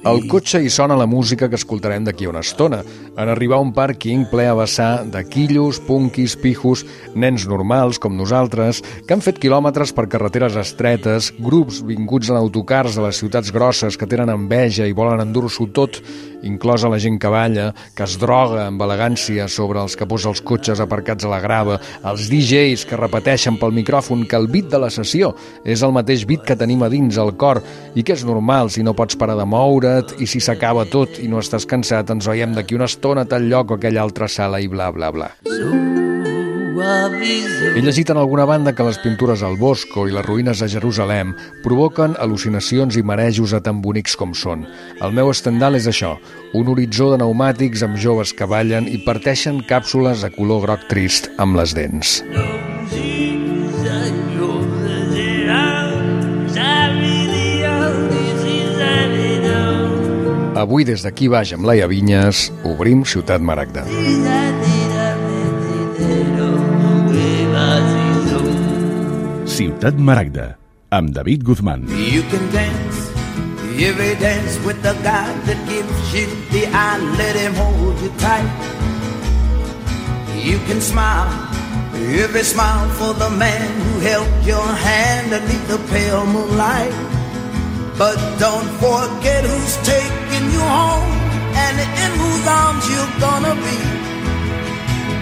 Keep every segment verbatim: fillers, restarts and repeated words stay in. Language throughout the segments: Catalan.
Al cotxe hi sona la música que escoltarem d'aquí a una estona. En arribar a un pàrquing ple a vessar de quillos, punquis, pijos, nens normals com nosaltres, que han fet quilòmetres per carreteres estretes, grups vinguts en autocars de les ciutats grosses que tenen enveja i volen endur-s'ho tot, inclosa la gent que balla, que es droga amb elegància sobre els capós dels cotxes aparcats a la grava, els D Js que repeteixen pel micròfon que el beat de la sessió és el mateix beat que tenim a dins al cor i que és normal si no pots parar de moure i si s'acaba tot i no estàs cansat ens veiem d'aquí una estona a tal lloc o aquella altra sala i bla bla bla. He llegit en alguna banda que les pintures al Bosco i les ruïnes de Jerusalem provoquen al·lucinacions i marejos a tan bonics com són. El meu estendal és això, un horitzó de pneumàtics amb joves que ballen i parteixen càpsules de color groc trist amb les dents. Avui, des d'aquí baix amb Laia Vinyes, obrim Ciutat Maragda. Ciutat Maragda, amb David Guzmán. You can dance, every dance with the guy that gives you the eye, let him hold you tight. You can smile, every smile for the man who held your hand beneath the pale moonlight. But don't forget who's taking you home and in whose arms you're gonna be.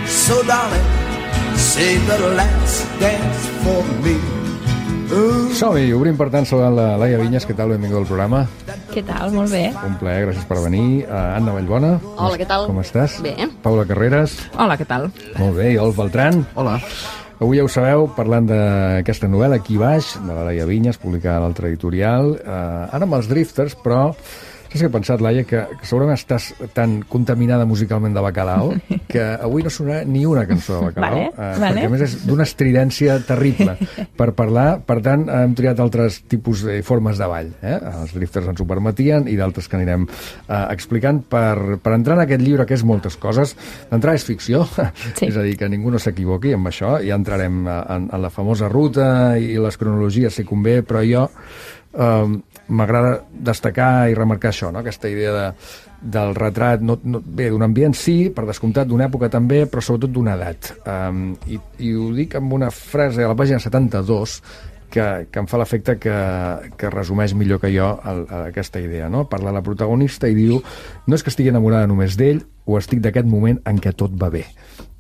So darling, save the last dance for me. Uh. Som-hi, obrim per tant saludant la Laia Vinyes. Què tal? Benvinguda al programa. Què tal? Molt bé. Un plaer, gràcies per venir. Uh, Anna Vallbona. Hola, què tal? Com estàs? Bé. Paula Carreras. Hola, què tal? Molt bé, i Olf Beltran. Hola. Avui ja ho sabeu, parlant d'aquesta novel·la Aquí baix, de la Laia Vinyes, publicada a l'altre editorial. Uh, ara amb els Drifters, però saps què he pensat, Laia? Que, que segurament estàs tan contaminada musicalment de Bacalao que avui no sonarà ni una cançó de Bacalao. Vale, uh, vale. Perquè a més és d'una estridència terrible per parlar. Per tant, hem triat altres tipus de formes de ball. Eh? Els Drifters ens ho permetien i d'altres que anirem uh, explicant per, per entrar en aquest llibre, que és moltes coses. D'entrada és ficció, sí. És a dir, que ningú no s'equivoqui amb això. Ja entrarem en, en la famosa ruta i les cronologies si convé, però jo Uh, m'agrada destacar i remarcar això, no? Aquesta idea de, del retrat, no, no, bé, d'un ambient sí, per descomptat, d'una època també, però sobretot d'una edat. Um, i, I ho dic amb una frase a la pàgina setanta-dos que, que em fa l'efecte que, que resumeix millor que jo el, aquesta idea, no? Parla la protagonista i diu: no és que estigui enamorada només d'ell, o estic d'aquest moment en què tot va bé.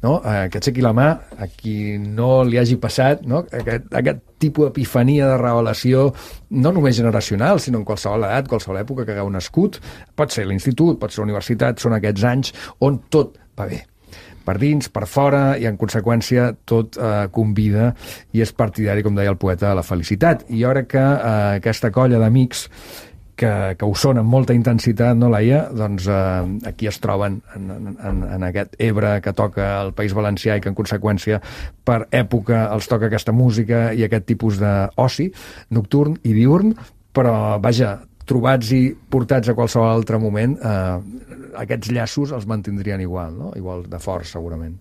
No? Eh, que aixequi la mà a qui no li hagi passat, no? aquest, aquest tipus d'epifania de revelació, no només generacional, sinó en qualsevol edat, qualsevol època que hagueu nascut. Pot ser l'institut, pot ser la universitat, són aquests anys on tot va bé. Per dins, per fora, i en conseqüència tot eh, convida i és partidari, com deia el poeta, de la felicitat. I jo crec que eh, aquesta colla d'amics que, que ho són amb molta intensitat, no, Laia? Doncs eh, aquí es troben en, en, en aquest Ebre que toca el País Valencià i que en conseqüència per època els toca aquesta música i aquest tipus d'oci nocturn i diurn, però vaja, trobats i portats a qualsevol altre moment, eh, aquests llaços els mantindrien igual, no? Igual de forts, segurament.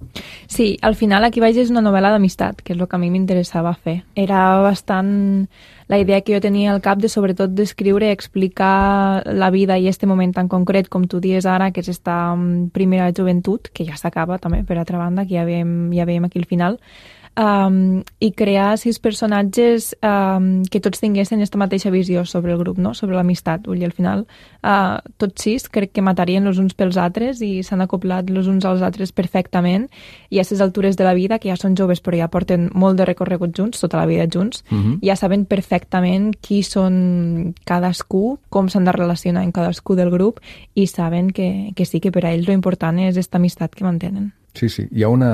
Sí, al final Aquí baix és una novel·la d'amistat, que és el que a mi m'interessava fer. Era bastant la idea que jo tenia al cap de sobretot descriure i explicar la vida i este moment tan concret, com tu dies ara, que és esta primera joventut, que ja s'acaba també, per altra banda, que ja veiem, ja veiem aquí al final, Um, i crear sis personatges um, que tots tinguessin aquesta mateixa visió sobre el grup, no? Sobre l'amistat. I al final uh, tots sis crec que matarien els uns pels altres i s'han acoplat els uns als altres perfectament, i a aquestes altures de la vida, que ja són joves però ja porten molt de recorregut junts, tota la vida junts, uh-huh. Ja saben perfectament qui són cadascú, com s'han de relacionar en cadascú del grup, i saben que, que sí, que per a ells lo important és aquesta amistat que mantenen. Sí, sí. Hi ha una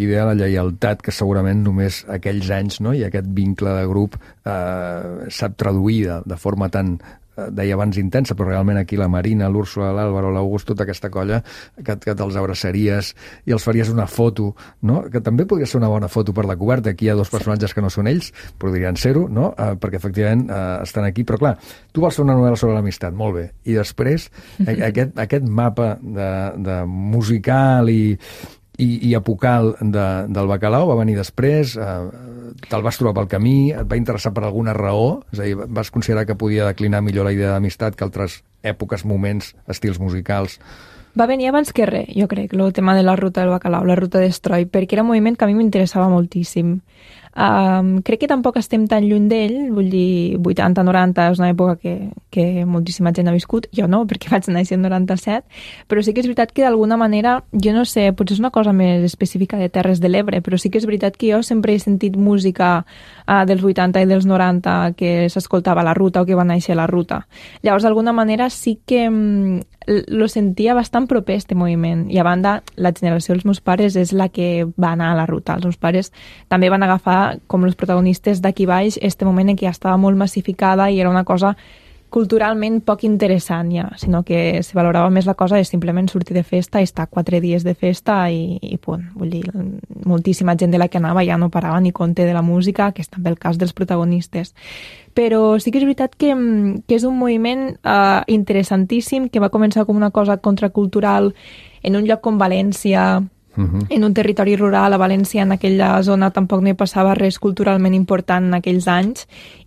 idea de la lleialtat que segurament només aquells anys, no? I aquest vincle de grup eh, sap traduir de, de forma tan, eh, deia abans, intensa, però realment aquí la Marina, l'Úrsula, l'Àlvaro, l'August, tota aquesta colla que, que te'ls abraçaries i els faries una foto, no? Que també podria ser una bona foto per la coberta. Aquí hi ha dos personatges que no són ells, podrien ser-ho, no? Eh, perquè efectivament eh, estan aquí, però clar, tu vols fer una novel·la sobre l'amistat, molt bé, i després aquest, aquest mapa de, de musical i i, i apocal de, del Bacalao va venir després, eh, te'l vas trobar pel camí, et va interessar per alguna raó, és a dir, vas considerar que podia declinar millor la idea d'amistat que altres èpoques, moments, estils musicals. Va venir abans que res, jo crec, el tema de la ruta del bacalao, la ruta d'Estroi, perquè era un moviment que a mi m'interessava moltíssim. Um, crec que tampoc estem tan lluny d'ell, vull dir, vuitanta noranta és una època que, que moltíssima gent ha viscut, jo no, perquè vaig néixer en noranta-set, però sí que és veritat que d'alguna manera, jo no sé, potser és una cosa més específica de Terres de l'Ebre, però sí que és veritat que jo sempre he sentit música uh, dels vuitanta i dels noranta que s'escoltava a la ruta o que va néixer a la ruta. Llavors, d'alguna manera, sí que um, lo sentia bastant proper este moviment, i a banda, la generació dels meus pares és la que va anar a la ruta. Els meus pares també van agafar com els protagonistes d'aquí baix este moment en què ja estava molt massificada i era una cosa culturalment poc interessant ja, sinó que se valorava més la cosa de simplement sortir de festa i estar quatre dies de festa i, i punt. Vull dir, moltíssima gent de la que anava ja no parava ni compte de la música, que és també el cas dels protagonistes. Però sí que és veritat que, que és un moviment uh, interessantíssim, que va començar com una cosa contracultural en un lloc com València, Uh-huh. en un territori rural. A València, en aquella zona, tampoc no hi passava res culturalment important en aquells anys,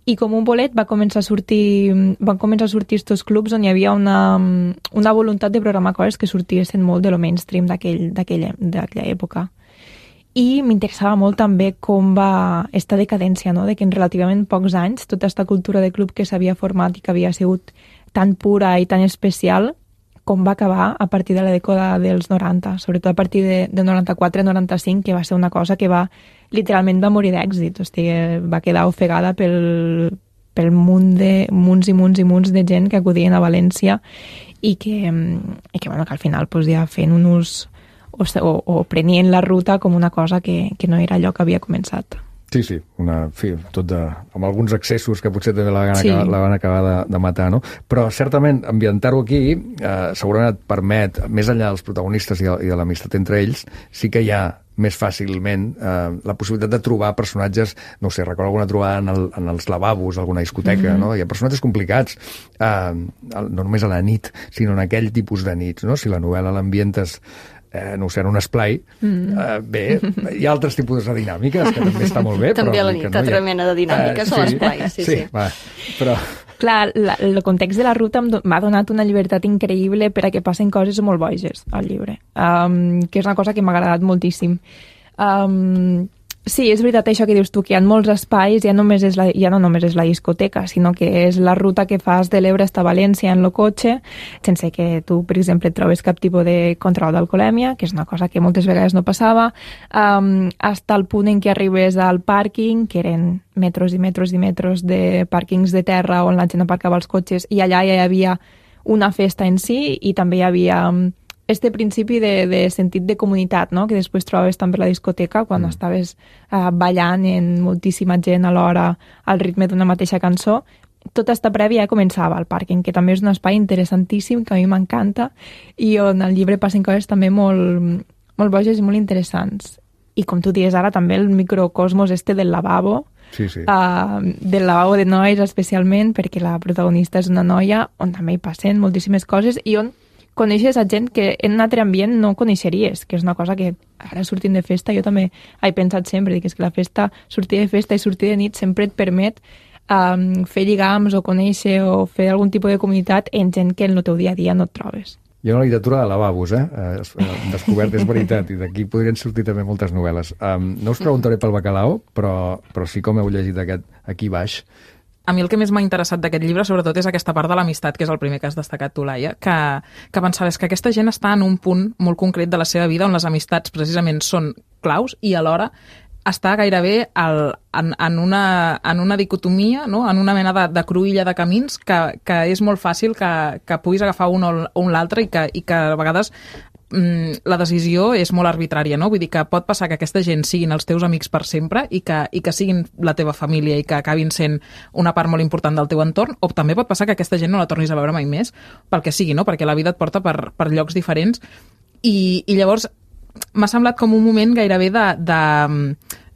i com un bolet va començar a sortir, van començar a sortir estos clubs on hi havia una, una voluntat de programar coses que sortissin molt de lo mainstream d'aquella època. I m'interessava molt també com va esta decadència, no? De que en relativament pocs anys tota aquesta cultura de club que s'havia format i que havia sigut tan pura i tan especial, com va acabar a partir de la dècada dels noranta, sobretot a partir de, de noranta-quatre noranta-cinc, que va ser una cosa que va, literalment va morir d'èxit, o sigui, va quedar ofegada pel, pel munt de, munts i munts i munts de gent que acudien a València i que, i que, bueno, que al final pues, ja fent un ús o, o, o prenien la ruta com una cosa que, que no era allò que havia començat. Sí, sí, una, fi, tot de, amb alguns excessos que potser també la van sí. acabar, la van acabar de, de matar, no? Però certament ambientar-ho aquí eh, segurament et permet, més enllà dels protagonistes i de, i de l'amistat entre ells, sí que hi ha més fàcilment eh, la possibilitat de trobar personatges, no sé, recordo alguna trobada en, el, en els lavabos, alguna discoteca, mm-hmm. no? Hi ha personatges complicats, eh, no només a la nit, sinó en aquell tipus de nits, no? Si la novel·la l'ambientes Eh, no ho sé, en un esplai, mm. eh, bé, hi ha altres tipus de dinàmiques que també està molt bé. També però a la nit, no altra ha... mena de dinàmiques eh, sí, a l'esplai, sí, sí. sí. Va, però... Clar, la, el context de la ruta m'ha donat una llibertat increïble per a que passen coses molt boges al llibre, um, que és una cosa que m'ha agradat moltíssim. Um, Sí, és veritat això que dius tu, que hi ha molts espais, ja, només és la, ja no només és la discoteca, sinó que és la ruta que fas de l'Ebre a València en el cotxe, sense que tu, per exemple, et trobes cap tipus de control d'alcoholèmia, que és una cosa que moltes vegades no passava, um, hasta el punt en què arribes al pàrquing, que eren metros i metros i metros de pàrquings de terra on la gent aparcava els cotxes, i allà ja hi havia una festa en si i també hi havia... Um, este principi de, de sentit de comunitat, no? Que després trobaves també a la discoteca quan mm. estaves uh, ballant en moltíssima gent alhora al ritme d'una mateixa cançó. Tota esta prèvia ja començava al pàrquing, que també és un espai interessantíssim, que a mi m'encanta, i on al llibre passen coses també molt, molt boges i molt interessants. I com tu dius ara, també el microcosmos este del lavabo, sí, sí. Uh, del lavabo de nois especialment, perquè la protagonista és una noia on també hi passen moltíssimes coses i on coneixes a gent que en un altre ambient no coneixeries, que és una cosa que ara sortint de festa jo també he pensat sempre, que és que la festa, sortir de festa i sortir de nit sempre et permet um, fer lligams o conèixer o fer algun tipus de comunitat en gent que en el teu dia a dia no et trobes. Hi ha una literatura de lavabos, eh? Hem descobert, és veritat, i d'aquí podrien sortir també moltes novel·les. Um, no us preguntaré pel bacalao, però, però sí com heu llegit aquest aquí baix. A mi el que més m'ha interessat d'aquest llibre, sobretot, és aquesta part de l'amistat, que és el primer que has destacat tu, Laia, que, que pensava és que aquesta gent està en un punt molt concret de la seva vida on les amistats precisament són claus i alhora està gairebé el, en, en, una, en una dicotomia, no? En una mena de, de cruïlla de camins que, que és molt fàcil que, que puguis agafar un o, o un l'altre i que, i que a vegades la decisió és molt arbitrària, no? Vull dir que pot passar que aquesta gent siguin els teus amics per sempre i que, i que siguin la teva família i que acabin sent una part molt important del teu entorn, o també pot passar que aquesta gent no la tornis a veure mai més, pel que sigui, no? Perquè la vida et porta per, per llocs diferents i, i llavors m'ha semblat com un moment gairebé de... de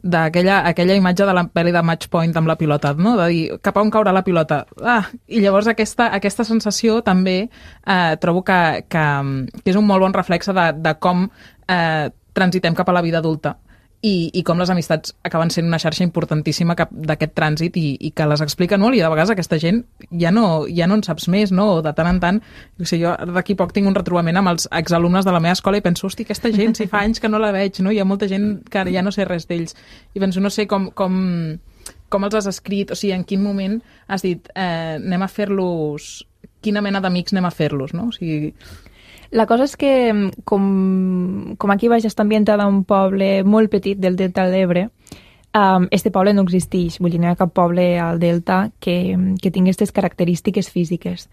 d'aquella aquella imatge de la pel·li de Match Point amb la pilota, no? De dir, cap a on caurà la pilota? Ah, i llavors aquesta, aquesta sensació també eh, trobo que, que, que és un molt bon reflexe de, de com eh, transitem cap a la vida adulta i, i com les amistats acaben sent una xarxa importantíssima cap d'aquest trànsit i, i que les expliquen molt, i de vegades aquesta gent ja no, ja no en saps més, no? O de tant en tant, o sigui, jo d'aquí poc tinc un retrobament amb els exalumnes de la meva escola i penso, hosti, aquesta gent, si fa anys que no la veig, no? Hi ha molta gent que ja no sé res d'ells, i penso, no sé com, com, com els has escrit, o sigui, en quin moment has dit, eh, anem a fer-los, quina mena d'amics anem a fer-los, no? O sigui... La cosa és que, com, com aquí baix està ambientada a un poble molt petit del Delta de l'Ebre, um, este poble no existeix, vull dir, no hi ha cap poble al Delta que, que tingui aquestes característiques físiques.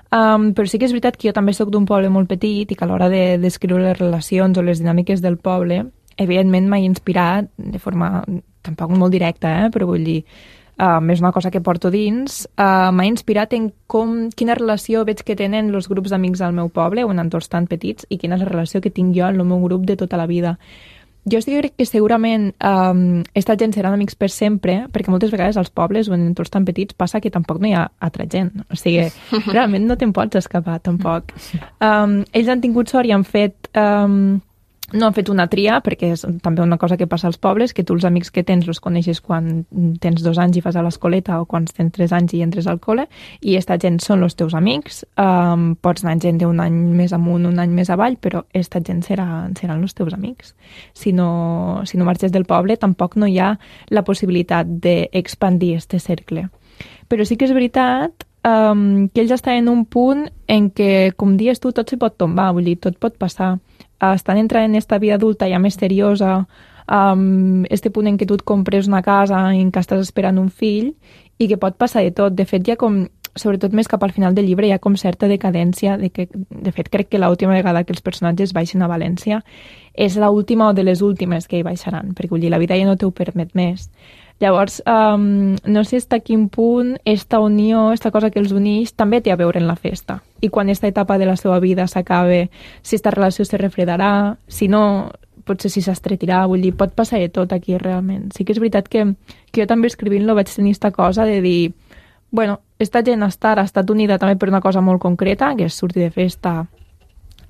Um, però sí que és veritat que jo també sóc d'un poble molt petit i que a l'hora de descriure les relacions o les dinàmiques del poble, evidentment m'ha inspirat de forma tampoc molt directa, eh? Però vull dir, Um, és una cosa que porto dins, uh, m'ha inspirat en com, quina relació veig que tenen els grups d'amics al meu poble o en entorns tan petits i quina és la relació que tinc jo en el meu grup de tota la vida. Jo sí que crec que segurament um, esta gent seran amics per sempre, perquè moltes vegades als pobles o en entorns tan petits passa que tampoc no hi ha altra gent. O sigui, realment no te'n pots escapar, tampoc. Um, ells han tingut sort i han fet... Um, No han fet una tria, perquè és també una cosa que passa als pobles, que tu els amics que tens els coneixes quan tens dos anys i fas a l'escoleta o quan tens tres anys i entres al col·le, i esta gent són els teus amics. Um, pots anar gent d'un any més amunt, un any més avall, però esta gent serà, seran els teus amics. Si no, si no marxes del poble, tampoc no hi ha la possibilitat d'expandir este cercle. Però sí que és veritat um, que ells estan en un punt en què, com dius tu, tot se pot tombar, vull dir, tot pot passar. Estan entrant en esta vida adulta ja més seriosa, um, este punt en què tu et compres una casa, en què estàs esperant un fill, i que pot passar de tot. De fet, ja com, sobretot més cap al final del llibre, hi ha com certa decadència, de, que, de fet, crec que l'última vegada que els personatges baixen a València és l'última o de les últimes que hi baixaran, perquè vull dir, la vida ja no t'ho permet més. Llavors, um, no sé fins a quin punt esta unió, esta cosa que els uneix, també té a veure en la festa. I quan esta etapa de la seva vida s'acabe, si esta relació se refredarà, si no, potser si s'estretirà, vull dir, pot passar de tot aquí realment. Sí que és veritat que, que jo també escrivint-lo vaig tenir esta cosa de dir, bueno, esta gent està, ha estat unida també per una cosa molt concreta, que és sortir de festa,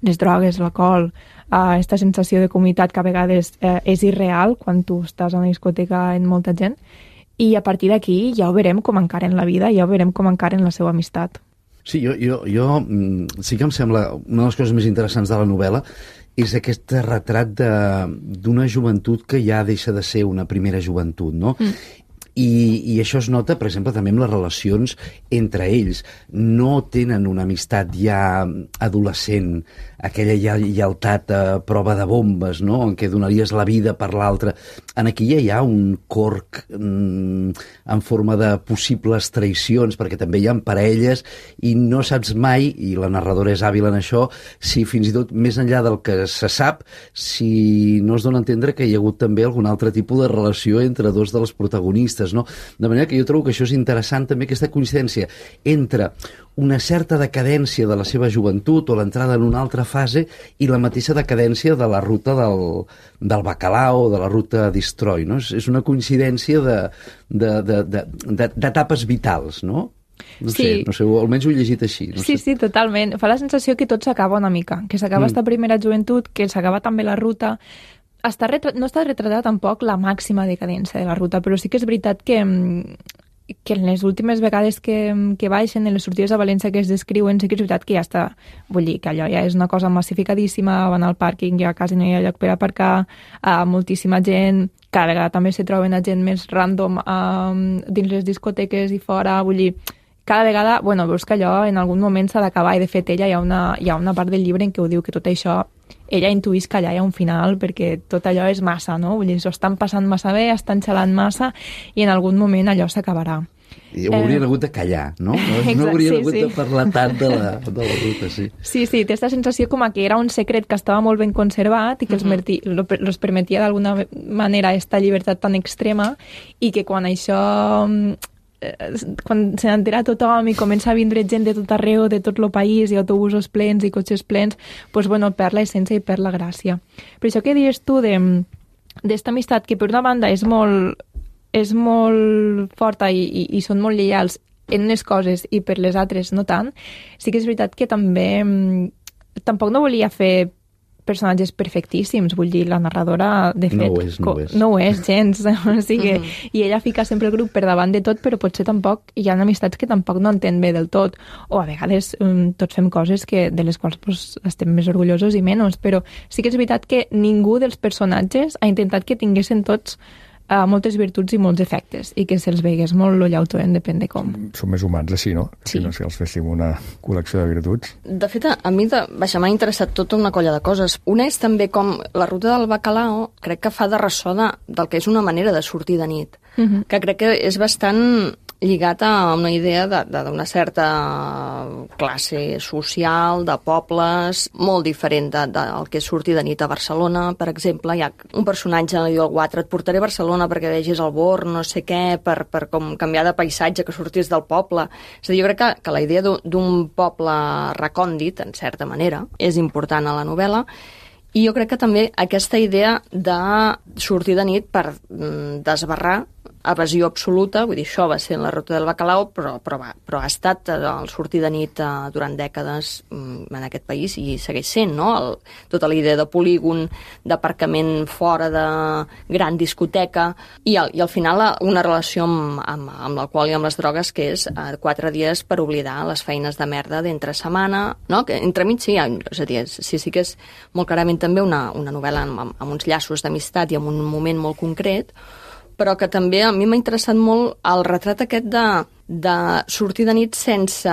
les drogues, l'alcohol, uh, esta sensació de comunitat que a vegades uh, és irreal quan tu estàs a una discoteca amb molta gent, i a partir d'aquí ja ho veurem com encaren la vida, ja ho veurem com encaren la seva amistat. Sí, jo, jo, jo sí que em sembla una de les coses més interessants de la novel·la és aquest retrat d'una joventut que ja deixa de ser una primera joventut, no? Mm. I, i això es nota, per exemple, també amb les relacions entre ells. No tenen una amistat ja adolescent, aquella lleialtat a prova de bombes, no?, en què donaries la vida per l'altre. En aquí ja hi ha un corc mm, en forma de possibles traïcions, perquè també hi ha parelles i no saps mai, i la narradora és hàbil en això, si fins i tot més enllà del que se sap, si no es dona a entendre que hi ha hagut també algun altre tipus de relació entre dos dels protagonistes, no? De manera que jo trobo que això és interessant també, aquesta coincidència entre una certa decadència de la seva joventut o l'entrada en una altra fase i la mateixa decadència de la ruta del, del bacalao o de la ruta Destroy, no? És, és una coincidència d'etapes de, de, de, vitals, no? No sí. sé, no sé, almenys ho he llegit així. No sí, sé. sí, totalment. Fa la sensació que tot s'acaba una mica, que s'acaba mm. esta primera joventut, que s'acaba també la ruta. Està retra... No està retratada tampoc la màxima decadència de la ruta, però sí que és veritat que, que en les últimes vegades que, que baixen, en les sortides a València que es descriuen, sí que és veritat que ja està, vull dir, que allò ja és una cosa massificadíssima, van al pàrquing, ja quasi no hi ha lloc per aparcar, uh, moltíssima gent, cada vegada també se troben a gent més random uh, dins les discoteques i fora, vull dir, cada vegada, bueno, veus que allò en algun moment s'ha d'acabar, i de fet ella hi ha, una, hi ha una part del llibre en què ho diu, que tot això ella intuïs que allà hi ha un final perquè tot allò és massa, no? Vull dir, s'ho estan passant massa bé, estan xalant massa i en algun moment allò s'acabarà. I ho haurien eh... hagut de callar, no? No, Exacte, no haurien sí, hagut sí. de parlar tant de la, de la ruta, sí. Sí, sí, té aquesta sensació com que era un secret que estava molt ben conservat i que els, merti, els permetia d'alguna manera esta llibertat tan extrema i que quan això... quan se n'entera tothom i comença a vindre gent de tot arreu, de tot el país, i autobusos plens i cotxes plens, doncs, bueno, perd l'essència i perd la gràcia. Per això que dius tu d'esta amistat, que per una banda és molt, és molt forta i, i, i són molt lleials en unes coses i per les altres no tant, sí que és veritat que també tampoc no volia fer personatges perfectíssims, vull dir, la narradora, de fet, No ho és, no ho és. no ho és gens, o sigui, mm-hmm. i ella fica sempre el grup per davant de tot, però potser tampoc, hi ha amistats que tampoc no entén bé del tot, o a vegades um, tots fem coses que, de les quals pues, estem més orgullosos i menys, però sí que és veritat que ningú dels personatges ha intentat que tinguessin tots Uh, moltes virtuts i molts defectes i que se'ls veigués molt lo llautó en depèn de com. Som més humans així, no? Sí. Si no, si els féssim una col·lecció de virtuts. De fet, a mi de, vaja, m'ha interessat tota una colla de coses. Una és també com la ruta del bacalao, crec que fa de ressò de, del que és una manera de sortir de nit, uh-huh. que crec que és bastant lligat a una idea d'una certa classe social, de pobles, molt diferent del de, de, que és sortir de nit a Barcelona, per exemple. Hi ha un personatge, li diu al Guatre, et portaré a Barcelona perquè vegis el Born, no sé què, per, per com canviar de paisatge, que sortis del poble. És a dir, jo crec que, que la idea d'un poble recòndit, en certa manera, és important a la novel·la, i jo crec que també aquesta idea de sortir de nit per mm, desbarrar evasió absoluta, vull dir, això va ser en la ruta del bacalao, però, però, va, però ha estat el sortir de nit eh, durant dècades mm, en aquest país i segueix sent, no? El, tota la idea de polígon, d'aparcament fora de gran discoteca i al, i al final una relació amb, amb, amb l'alcohol i amb les drogues que és eh, quatre dies per oblidar les feines de merda d'entre setmana, no? Que entremig sí, és a dir, sí, sí que és molt clarament també una, una novel·la amb, amb, amb uns llaços d'amistat i amb un moment molt concret, però que també a mi m'ha interessat molt el retrat aquest de, de sortir de nit sense...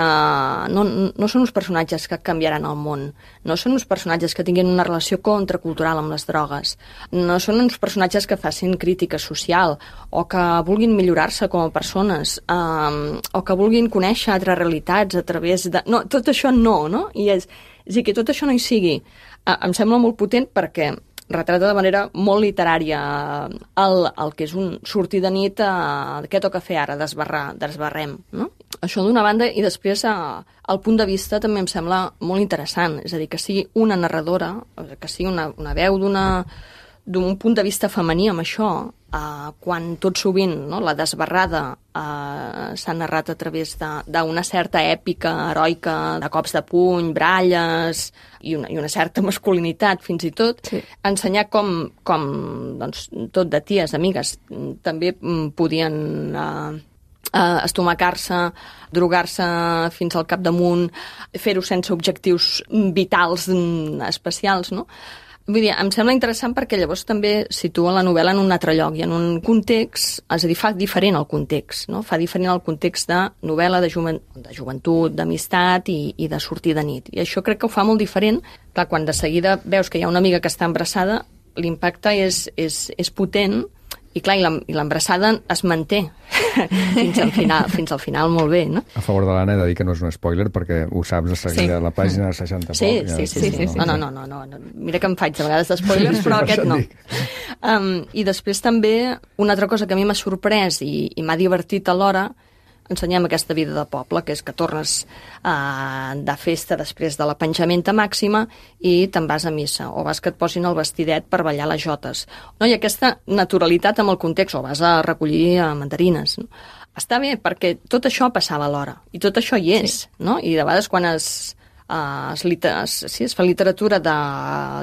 No, no són uns personatges que canviaran el món, no són uns personatges que tinguin una relació contracultural amb les drogues, no són uns personatges que facin crítica social o que vulguin millorar-se com a persones, um, o que vulguin conèixer altres realitats a través de... No, tot això no, no? I és, és a dir, que tot això no hi sigui. Uh, em sembla molt potent perquè retrata de manera molt literària el, el que és un sortir de nit, eh, què toca fer ara, desbarrar, desbarrem, no? Això d'una banda, i després eh, el punt de vista també em sembla molt interessant, és a dir, que sigui una narradora, que sigui una, una veu d'una d'un punt de vista femení amb això, eh, quan tot sovint no, la desbarrada eh, s'ha narrat a través d'una certa èpica heroica, de cops de puny, bralles i una, i una certa masculinitat fins i tot, sí. Ensenyar com, com doncs, tot de ties, amigues, també podien eh, eh, estomacar-se, drogar-se fins al capdamunt, fer-ho sense objectius vitals especials, no? Vull dir, em sembla interessant perquè llavors també situa la novel·la en un altre lloc i en un context, és a dir, fa diferent el context, no? Fa diferent el context de novel·la, de, joven, de joventut, d'amistat i, i de sortir de nit. I això crec que ho fa molt diferent. Clar, quan de seguida veus que hi ha una amiga que està embarassada, l'impacte és, és, és potent i clar, i l'embrassada es manté fins al final, fins al final molt bé, no? A favor de l'Anna he de dir que no és un spoiler perquè ho saps de seguida, sí. La pàgina seixanta sí, poc. Sí, sí, sí, sí, sí. No, no, no, no, no, no. Mira que em faig de vegades d'espoilers, però aquest no. Um, I després també una altra cosa que a mi m'ha sorprès i, i m'ha divertit alhora, ensenyem aquesta vida de poble, que és que tornes uh, de festa després de la penjamenta màxima i te'n vas a missa, o vas que et posin el vestidet per ballar les jotes. No? I aquesta naturalitat amb el context, o vas a recollir uh, mandarines. No? Està bé, perquè tot això passava alhora, i tot això hi és, sí. No? I de vegades quan es... Uh, es, es, sí, es fa literatura de,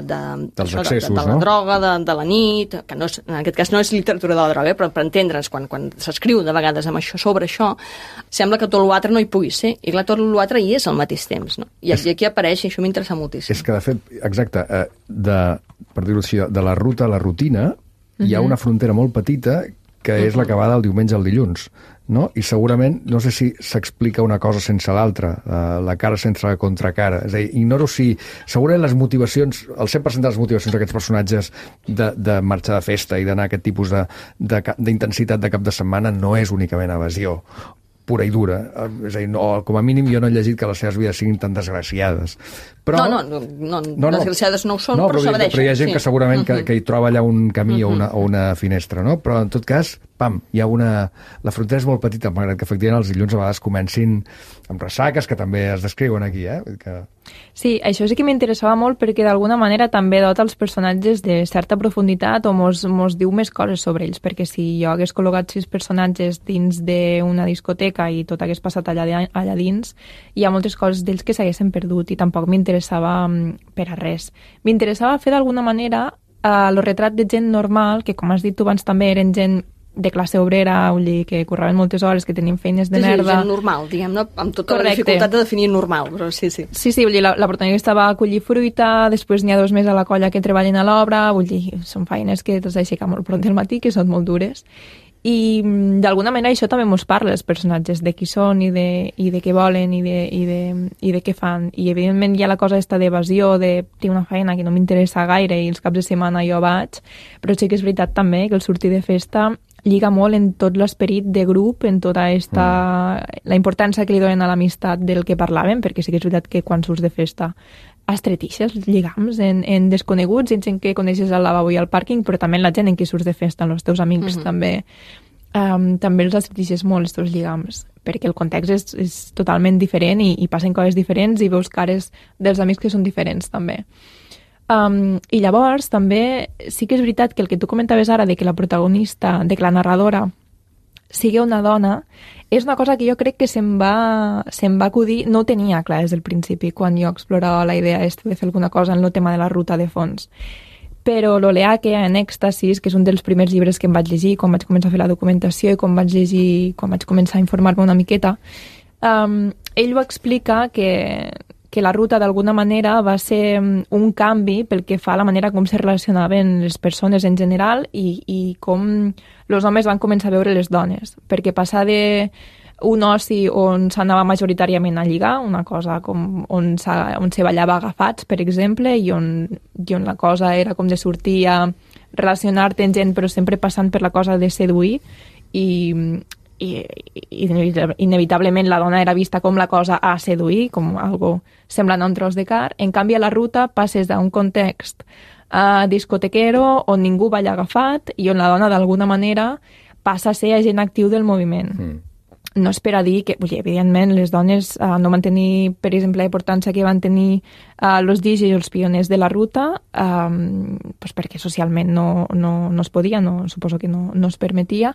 de, dels això, accessos, de, de la no? droga, de, de la nit, que no és, en aquest cas no és literatura de la droga, eh, però per entendre'ns, quan, quan s'escriu de vegades amb això, sobre això, sembla que tot l'altre no hi pugui ser, i clar, tot l'altre hi és al mateix temps, no? I, és, i aquí apareix, i això m'interessa moltíssim. És que, de fet, exacte, eh, de, per dir-ho així, de la ruta a la rutina, uh-huh. Hi ha una frontera molt petita que és uh-huh. la que va del diumenge al dilluns, no? I segurament, no sé si s'explica una cosa sense l'altra, uh, la cara sense la contracara. És a dir, ignoro si... Segurament les motivacions, el cent per cent de les motivacions d'aquests personatges de, de marxar de festa i d'anar a aquest tipus d'intensitat de, de, de cap de setmana no és únicament evasió pura i dura. És a dir, no, com a mínim jo no he llegit que les seves vides siguin tan desgraciades. Però, no, no, no, no, no, desgraciades no ho són, no, però, però s'evadeixen. Però hi ha gent sí. que segurament uh-huh. que, que hi troba allà un camí uh-huh. o, una, o una finestra, no? Però en tot cas, pam, hi ha una... La frontera és molt petita, malgrat que efectivament els dilluns a vegades comencin amb ressaques, que també es descriuen aquí, eh? Que... Sí, això sí que m'interessava molt perquè d'alguna manera també dota els personatges de certa profunditat o mos, mos diu més coses sobre ells, perquè si jo hagués col·locat sis personatges dins d'una discoteca i tot hagués passat allà, allà dins, hi ha moltes coses d'ells que s'haguessin perdut i tampoc m'interessa m'interessava per a res. M'interessava fer d'alguna manera el retrat de gent normal, que com has dit tu abans també eren gent de classe obrera, vull dir, que curraven moltes hores, que tenien feines de sí, merda. Sí, gent normal, diguem-ne, amb tota Correcte. La dificultat de definir normal, però sí, sí. Sí, sí, vull dir, la, la protagonista va a collir fruita, després n'hi ha dos més a la colla que treballen a l'obra, vull dir, són feines que t'has d'aixecar molt pront del matí, que són molt dures. I d'alguna manera això també mos parla els personatges, de qui són i de, i de què volen i de, i, de, i de què fan. I evidentment hi ha la cosa esta d'evasió, de tinc una feina que no m'interessa gaire i els caps de setmana jo vaig, però sí que és veritat també que el sortir de festa lliga molt en tot l'esperit de grup, en tota esta... Mm. la importància que li donen a l'amistat del que parlàvem, perquè sí que és veritat que quan surts de festa estretixes lligams en, en desconeguts, en gent que coneixes al lavabo i al pàrquing, però també en la gent en qui surts de festa, en els teus amics mm-hmm. també. Um, també els estretixes molt, els teus lligams, perquè el context és, és totalment diferent i, i passen coses diferents i veus cares dels amics que són diferents també. Um, I llavors també sí que és veritat que el que tu comentaves ara de que la protagonista, de que la narradora sigui una dona, és una cosa que jo crec que se'm va, se'm va acudir, no ho tenia clar des del principi quan jo explorava la idea de fer alguna cosa en el tema de la ruta de fons. Però l'Oleà que hi ha en Èxtasis, que és un dels primers llibres que em vaig llegir quan vaig començar a fer la documentació i quan vaig llegir, quan vaig començar a informar-me una miqueta, um, ell ho explica que que la ruta d'alguna manera va ser un canvi pel que fa a la manera com se relacionaven les persones en general i, i com els homes van començar a veure les dones. Perquè passar d'un oci on s'anava majoritàriament a lligar, una cosa com on, on se ballava agafats, per exemple, i on, i on la cosa era com de sortir a relacionar-te amb gent però sempre passant per la cosa de seduir i... I, i inevitablement la dona era vista com la cosa a seduir, com algo semblant a un tros de car. En canvi, a la ruta passes d'un context uh, discotequero on ningú balla agafat i on la dona d'alguna manera passa a ser agent actiu del moviment. Mm. No és per a dir que, vull dir, evidentment, les dones uh, no van tenir, per exemple, la importància que van tenir uh, els D Js i els pioners de la ruta, um, pues perquè socialment no, no, no es podia, no, suposo que no, no es permetia,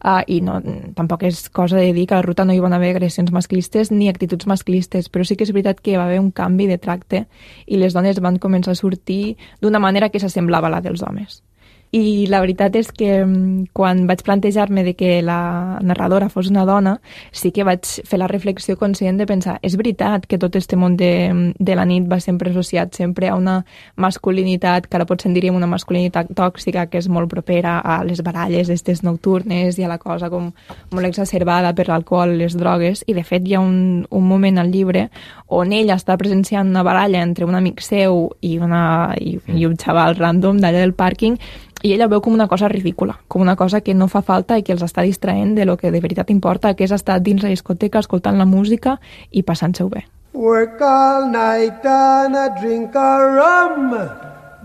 uh, i no, tampoc és cosa de dir que a la ruta no hi van haver agressions masclistes ni actituds masclistes, però sí que és veritat que va haver un canvi de tracte i les dones van començar a sortir d'una manera que s'assemblava a la dels homes. I la veritat és que quan vaig plantejar-me de que la narradora fos una dona, sí que vaig fer la reflexió conscient de pensar, és veritat que tot este món de, de la nit va sempre associat sempre a una masculinitat, que ara potser en diríem una masculinitat tòxica, que és molt propera a les baralles estes nocturnes i a la cosa com molt exacerbada per l'alcohol i les drogues, i de fet hi ha un, un moment al llibre on ella està presenciant una baralla entre un amic seu i, una, i, i un xaval random d'allà del pàrquing, i ella veu com una cosa ridícula, com una cosa que no fa falta i que els està distraent de lo que de veritat importa, que és estar dins la discoteca escoltant la música i passant-se-ho bé. Work all night and a drink a rum.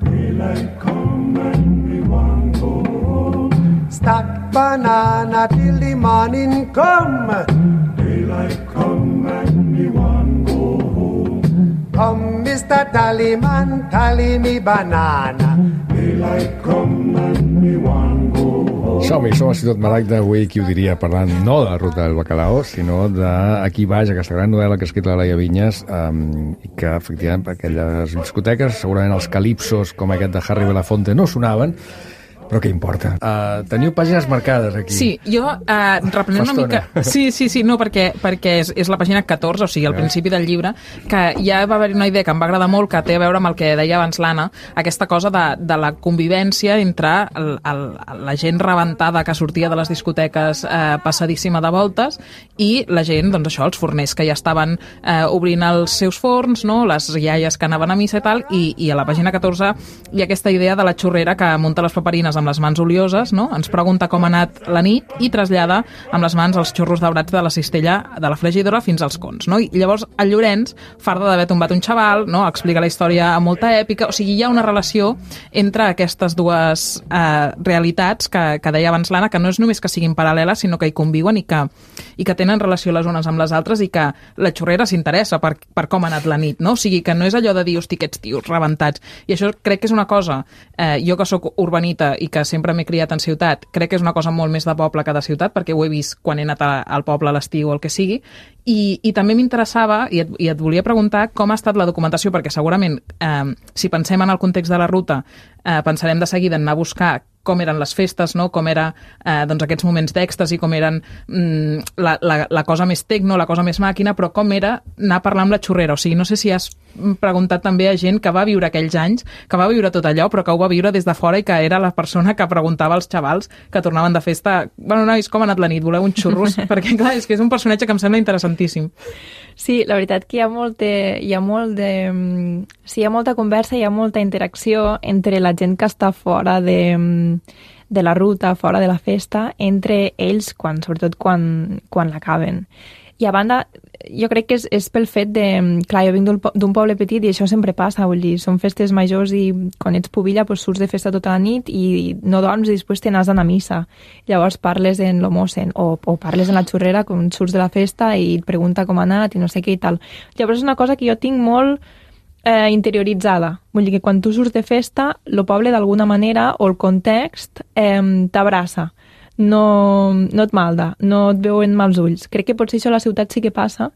Daylight come and we want go home. Stack banana till the morning come. Daylight come and we want go home. Come, mister Tallyman, tally me banana. Daylight come and we want go home. Som-hi, som a Ciutat Maragda, avui qui ho diria, parlant no de la ruta del Bacalao, sinó d'Aquí baix, aquesta gran novel·la que ha escrit la Laia Vinyes, um, i que, efectivament, per aquelles discoteques, segurament els calipsos com aquest de Harry Belafonte no sonaven, però què importa? Uh, teniu pàgines marcades aquí. Sí, jo uh, reprenent una mica... Sí, sí, sí, no, perquè, perquè és, és la pàgina catorze, o sigui, al principi del llibre, que ja va haver una idea que em va agradar molt, que té a veure amb el que deia abans l'Anna, aquesta cosa de, de la convivència entre el, el, la gent rebentada que sortia de les discoteques eh, passadíssima de voltes i la gent, doncs això, els forners que ja estaven eh, obrint els seus forns, no? Les iaies que anaven a missa i tal, i, i a la pàgina catorze hi ha aquesta idea de la xurrera que munta les paperines amb les mans olioses, no? Ens pregunta com ha anat la nit i trasllada amb les mans els xurros daurats de la cistella de la fregidora fins als cons, no? I llavors el Llorenç, farda d'haver tombat un xaval, no? Explica la història amb molta èpica, o sigui, hi ha una relació entre aquestes dues eh, realitats que, que deia abans l'Anna, que no és només que siguin paral·leles, sinó que hi conviuen i que, i que tenen relació les unes amb les altres i que la xurrera s'interessa per, per com ha anat la nit, no? O sigui, que no és allò de dir, hosti, aquests tios rebentats. I això crec que és una cosa, eh, jo que sóc urbanita i que sempre m'he criat en ciutat, crec que és una cosa molt més de poble que de ciutat, perquè ho he vist quan he anat a, al poble a l'estiu o el que sigui, i, i també m'interessava, i, et, i et volia preguntar com ha estat la documentació, perquè segurament, eh, si pensem en el context de la ruta, eh, pensarem de seguida en anar a buscar com eren les festes, no? Com era eh, doncs aquests moments d'èxtasi, com eren mm, la, la, la cosa més tecno, la cosa més màquina, però com era anar a parlar amb la xurrera. O sigui, no sé si has preguntat també a gent que va viure aquells anys, que va viure tot allò, però que ho va viure des de fora i que era la persona que preguntava als xavals que tornaven de festa, bueno, nois, com ha anat la nit? Voleu uns xurros? Perquè, clar, és que és un personatge que em sembla interessantíssim. Sí, la veritat que hi ha molt de, hi ha molt de, sí, hi ha molta conversa, hi ha molta interacció entre la gent que està fora de, de la ruta, fora de la festa, entre ells, quan, sobretot quan, quan l'acaben. I a banda, jo crec que és, és pel fet de... Clar, jo vinc d'un poble petit i això sempre passa, vull dir, són festes majors i quan ets pubilla doncs surts de festa tota la nit i no dorms i després te n'has d'anar a missa. Llavors parles en l'homosen o, o parles en la xurrera quan surts de la festa i et pregunta com ha anat i no sé què i tal. Llavors és una cosa que jo tinc molt eh, interioritzada. Vull dir que quan tu surts de festa, el poble d'alguna manera o el context eh, t'abraça. No, no et malda, no et veuen mals ulls. Crec que potser això a la ciutat sí que passa,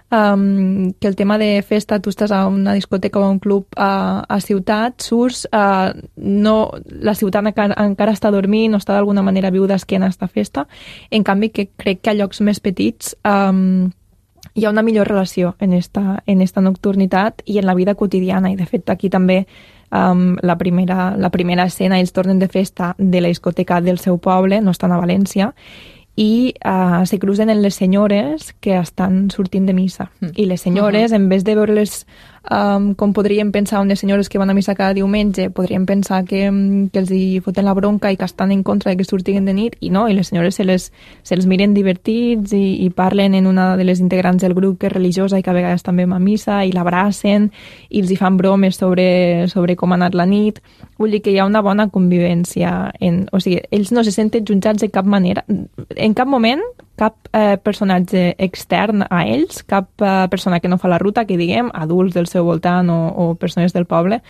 um, que el tema de festa, tu estàs a una discoteca o a un club a, a ciutat, surts, uh, no, la ciutat encara, encara està dormint, no està d'alguna manera viu d'esquena a esta festa. En canvi, que crec que a llocs més petits um, hi ha una millor relació en esta, en esta nocturnitat i en la vida quotidiana, i de fet aquí també Um, la, primera, la primera escena, ells tornen de festa de la discoteca del seu poble, no estan a València, i uh, se cruzen en les senyores que estan sortint de missa. Mm. I les senyores, uh-huh. en vez de veure-les um, com podríem pensar unes senyores que van a missa cada diumenge, podríem pensar que, que els hi foten la bronca i que estan en contra de que surtin de nit, i no, i les senyores se les, se les miren divertits i, i parlen en una de les integrants del grup que és religiosa i que a vegades també va a missa, i l'abracen i els hi fan bromes sobre, sobre com ha anat la nit. Vull dir que hi ha una bona convivència. En, o sigui, ells no se senten jutjats de cap manera. En cap moment, cap eh, personatge extern a ells, cap eh, persona que no fa la ruta, que diguem, adults del seu voltant o, o persones del poble,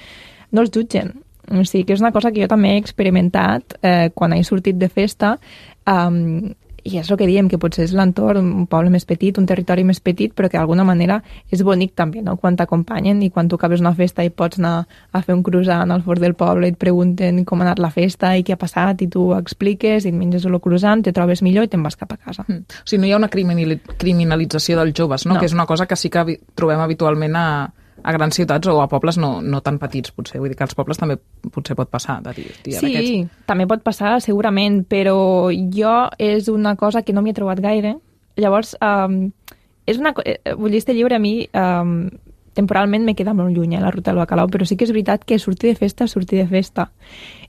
no els jutgen. O sigui, que és una cosa que jo també he experimentat eh, quan he sortit de festa, um, i és el que diem, que potser és l'entorn, un poble més petit, un territori més petit, però que d'alguna manera és bonic també, no?, quan t'acompanyen i quan tu acabes una festa i pots anar a fer un croissant al fort del poble i et pregunten com ha anat la festa i què ha passat i tu expliques i et menges el croissant, te trobes millor i te'n vas cap a casa. Mm. O sigui, no hi ha una criminalització dels joves, no? no? Que és una cosa que sí que trobem habitualment a, a grans ciutats o a pobles no, no tan petits, potser. Vull dir que als pobles també potser pot passar. De dir, tia, sí, aquests... també pot passar, segurament, però jo és una cosa que no m'hi he trobat gaire. Llavors, um, és una, vull dir, este llibre a mi um, temporalment me queda molt lluny, eh, la ruta del bacalao, però sí que és veritat que sortir de festa, sortir de festa.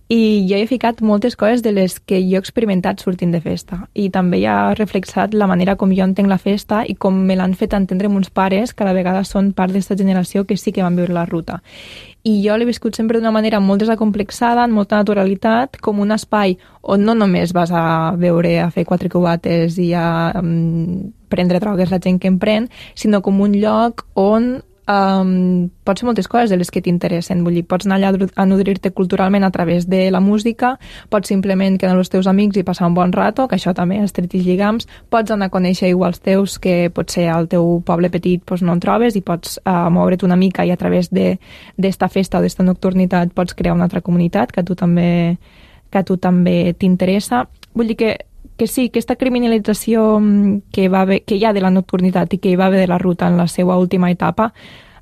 I jo he ficat moltes coses de les que jo he experimentat sortint de festa. I també ja ha reflexat la manera com jo entenc la festa i com me l'han fet entendre meus pares, que a la vegada són part d'aquesta generació que sí que van viure la ruta. I jo l'he viscut sempre d'una manera molt desacomplexada, amb molta naturalitat, com un espai on no només vas a veure, a fer quatre cubates i a um, prendre drogues la gent que en pren, sinó com un lloc on Um, pots fer moltes coses de les que t'interessen. Vull dir, pots anar allà a nodrir-te culturalment a través de la música, pots simplement quedar amb els teus amics i passar un bon rato, que això també estretix lligams, pots anar a conèixer iguals teus que potser al teu poble petit doncs, no en trobes, i pots uh, moure't una mica i a través d'esta festa o d'esta nocturnitat pots crear una altra comunitat que a tu també, que a tu també t'interessa. Vull dir que que sí, aquesta criminalització que, va haver, que hi ha de la nocturnitat i que hi va haver de la ruta en la seva última etapa,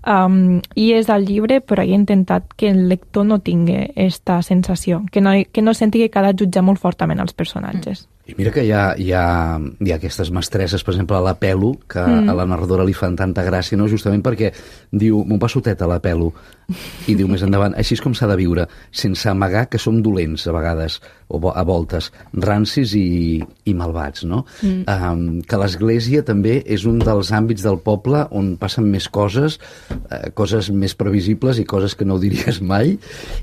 um, i és al llibre, però he intentat que el lector no tingui aquesta sensació, que no, que no senti que ha de jutjar molt fortament els personatges. I mira que hi ha, hi ha, hi ha aquestes mestresses, per exemple, a la Pelo, que mm. a la narradora li fan tanta gràcia, no? Justament perquè diu, m'ho passo teta a la Pelo, i diu més endavant, així és com s'ha de viure, sense amagar que som dolents a vegades, o a voltes, rancis i, i malvats, no? Mm. Um, que l'Església també és un dels àmbits del poble on passen més coses, eh, coses més previsibles i coses que no ho diries mai,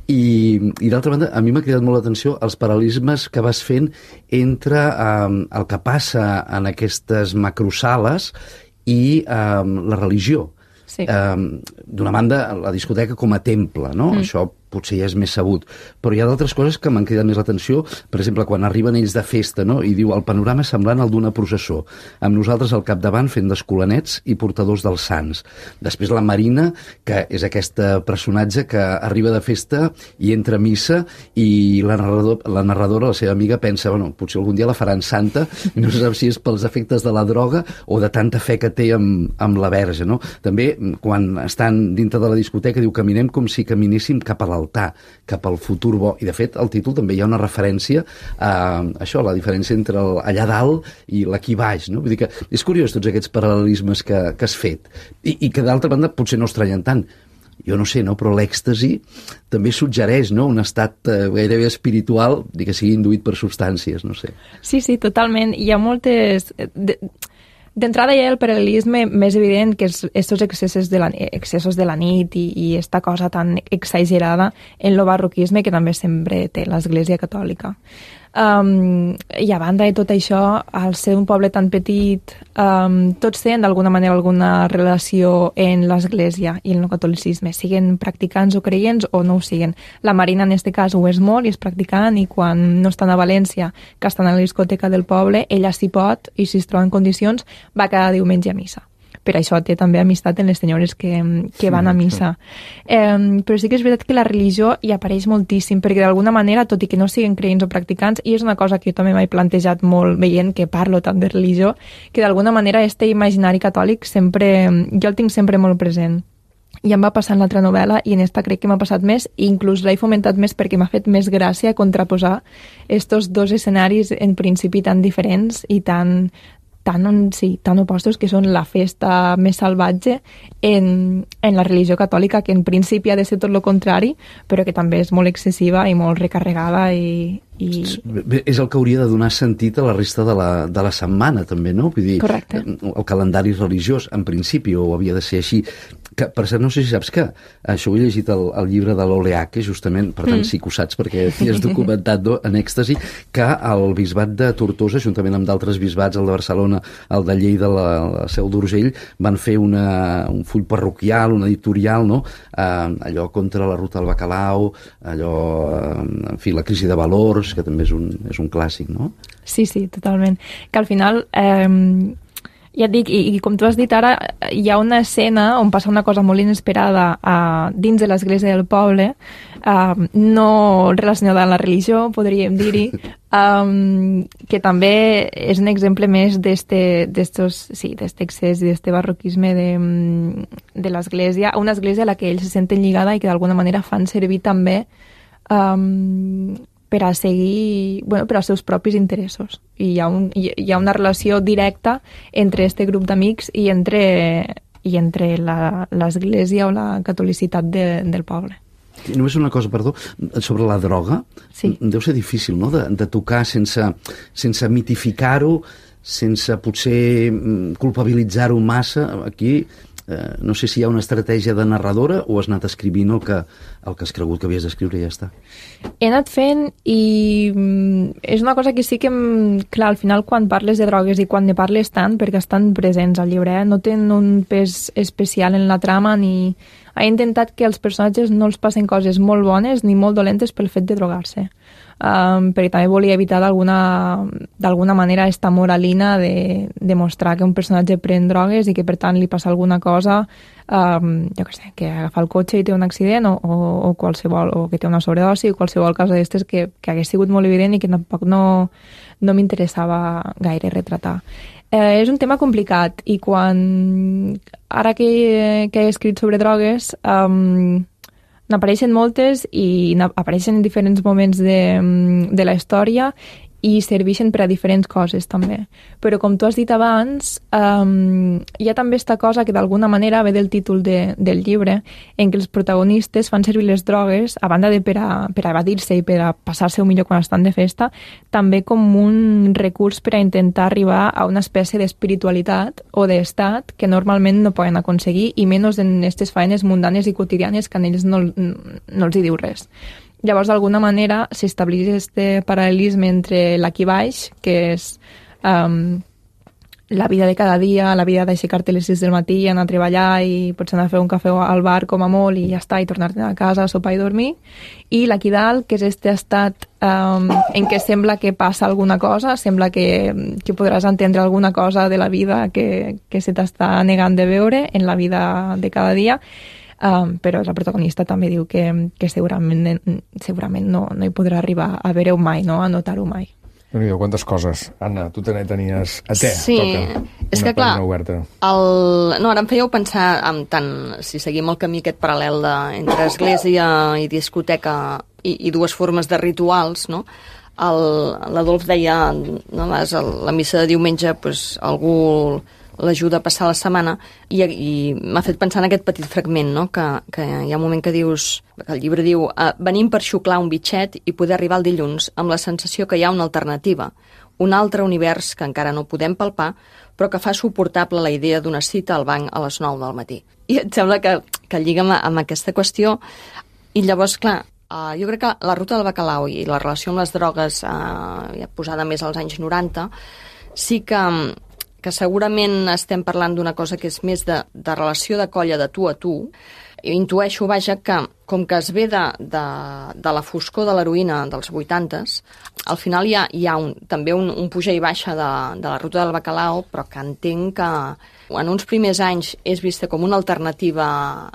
i, i d'altra banda, a mi m'ha cridat molt l'atenció els paral·lelismes que vas fent entre Um, el que passa en aquestes macrosales i um, la religió. Sí. Um, d'una banda, la discoteca com a temple, no? Mm. Això potser ja és més sabut. Però hi ha d'altres coses que m'han cridat més l'atenció. Per exemple, quan arriben ells de festa, no? I diu, el panorama és semblant al d'una processó, amb nosaltres al capdavant fent d'escolanets i portadors dels sants. Després la Marina, que és aquest personatge que arriba de festa i entra a missa, i la, narrador, la narradora, la seva amiga, pensa, bueno, potser algun dia la faran santa, i no se sap si és pels efectes de la droga o de tanta fe que té amb, amb la Verge, no? També, quan estan dintre de la discoteca, diu, caminem com si caminéssim cap a l'altar, cap al futur bo. I, de fet, al títol també hi ha una referència a això, la diferència entre el, allà dalt i l'aquí baix, no? Vull dir que és curiós tots aquests paral·lelismes que, que has fet. I, i que, d'altra banda, potser no estranyen tant. Jo no sé, no? Però l'èxtasi també suggereix, no?, un estat eh, gairebé espiritual, dir que sigui induït per substàncies, no sé. Sí, sí, totalment. Hi ha moltes... De... D'entrada hi ha el paral·lelisme més evident, que és estos excessos de la, excessos de la nit i, i esta cosa tan exagerada en el barroquisme que també sempre té l'Església Catòlica. Um, I a banda de tot això, al ser un poble tan petit, um, tots tenen d'alguna manera alguna relació en l'Església i en el catolicisme, siguen practicants o creients o no ho siguen. La Marina en aquest cas ho és molt i és practicant, i quan no estan a València, que estan a la discoteca del poble, ella s'hi pot, i si es troba en condicions va cada diumenge a missa. Per això té també amistat en les senyores que, que van a missa. Eh, però sí que és veritat que la religió hi apareix moltíssim, perquè d'alguna manera, tot i que no siguin creients o practicants, i és una cosa que jo també m'he plantejat molt veient que parlo tant de religió, que d'alguna manera este imaginari catòlic sempre, jo el tinc sempre molt present. I em va passar en l'altra novel·la, i en esta crec que m'ha passat més, i inclús l'he fomentat més perquè m'ha fet més gràcia contraposar estos dos escenaris en principi tan diferents i tan... tan, sí, tan opostos, que són la festa més salvatge en, en la religió catòlica, que en principi ha de ser tot el contrari, però que també és molt excessiva i molt recarregada i... I... És el que hauria de donar sentit a la resta de la, de la setmana, també, no? Vull dir, correcte. El calendari religiós, en principi, o havia de ser així. Que, per cert, no sé si saps que això ho he llegit el, el llibre de l'Oleaque, justament, per tant, mm. sí que ho saps, perquè t'hi has documentat, no? En èxtasi, que el bisbat de Tortosa, juntament amb d'altres bisbats, el de Barcelona, el de Lleida, la, la Seu d'Urgell, van fer una, un full parroquial, un editorial, no? Eh, allò contra la ruta del bacalao, allò, eh, en fi, la crisi de valors, que també és un, és un clàssic, no? Sí, sí, totalment. Que al final, eh, ja et dic, i, i com tu has dit ara, hi ha una escena on passa una cosa molt inesperada eh, dins de l'església del poble, eh, no relacionada amb la religió, podríem dir-hi, um, que també és un exemple més d'estos, sí, d'este excés i d'este barroquisme de, de l'església, una església a la que ells se senten lligada i que d'alguna manera fan servir també um, per a seguir, bueno, per als seus propis interessos. I hi ha, un, hi ha una relació directa entre este grup d'amics i entre, i entre l'església o la catolicitat de, del poble. I només una cosa, perdó, sobre la droga. Sí. Deu ser difícil, no?, de, de tocar sense, sense mitificar-ho, sense potser culpabilitzar-ho massa. Aquí eh, no sé si hi ha una estratègia de narradora o has anat escrivint el que, el que has cregut que havies d'escriure i ja està. He anat fent i és una cosa que sí que, clar, al final quan parles de drogues i quan ne parles tant, perquè estan presents al llibre, eh? No tenen un pes especial en la trama ni... He intentat que els personatges no els passen coses molt bones ni molt dolentes pel fet de drogar-se. Um, perquè també volia evitar d'alguna manera esta moralina de, de mostrar que un personatge pren drogues i que per tant li passa alguna cosa, um, jo què sé, que agafa el cotxe i té un accident o, o, o qualsevol, o que té una sobredosi o qualsevol cosa d'aquestes que, que hagués sigut molt evident i que tampoc no, no m'interessava gaire retratar. Eh, és un tema complicat i quan ara que, que he escrit sobre drogues um, n'apareixen moltes i apareixen en diferents moments de, de la història i serveixen per a diferents coses també. Però com tu has dit abans, um, hi ha també esta cosa que d'alguna manera ve del títol de, del llibre, en què els protagonistes fan servir les drogues, a banda de per a, per a evadir-se i per a passar-se millor quan estan de festa, també com un recurs per a intentar arribar a una espècie d'espiritualitat o d'estat que normalment no poden aconseguir, i menys en aquestes faenes mundanes i quotidianes que a ells no, no els hi diu res. Llavors, d'alguna manera, s'estableix este paral·lelisme entre l'aquí baix, que és um, la vida de cada dia, la vida d'aixecar-te a les sis del matí, anar a treballar i potser anar a fer un cafè al bar com a molt i ja està, i tornar-te a casa, sopar i dormir. I l'Aquí Dalt, que és este estat um, en què sembla que passa alguna cosa, sembla que, que podràs entendre alguna cosa de la vida que, que se t'està negant de veure en la vida de cada dia, um, però la protagonista també diu que, que segurament, segurament no, no hi podrà arribar a veure-ho mai, no? A notar-ho mai. Déu-n'hi-do, quantes coses. Anna, tu també tenies a te, sí, toca és una que clar, oberta. El... No, ara em fèieu pensar en tant, si seguim el camí aquest paral·lel de, entre església i discoteca i, i dues formes de rituals, no? L'Adolf deia, no, les, la missa de diumenge, pues, algú l'ajuda a passar la setmana, i, i m'ha fet pensar en aquest petit fragment, no? que, que hi ha un moment que dius, que el llibre diu, eh, venim per xuclar un bitxet i poder arribar el dilluns amb la sensació que hi ha una alternativa, un altre univers que encara no podem palpar, però que fa suportable la idea d'una cita al banc a les nou del matí. I et sembla que, que lliga amb, amb aquesta qüestió, i llavors, clar, Uh, jo crec que la ruta del bacalao i la relació amb les drogues, uh, ja posada més als anys noranta, sí que, que segurament estem parlant d'una cosa que és més de, de relació de colla de tu a tu. I intueixo, vaja, que com que es ve de, de, de la foscor de l'heroïna dels vuitantes, al final hi ha, hi ha un, també un, un puja i baixa de, de la ruta del bacalao, però que entenc que en uns primers anys és vista com una alternativa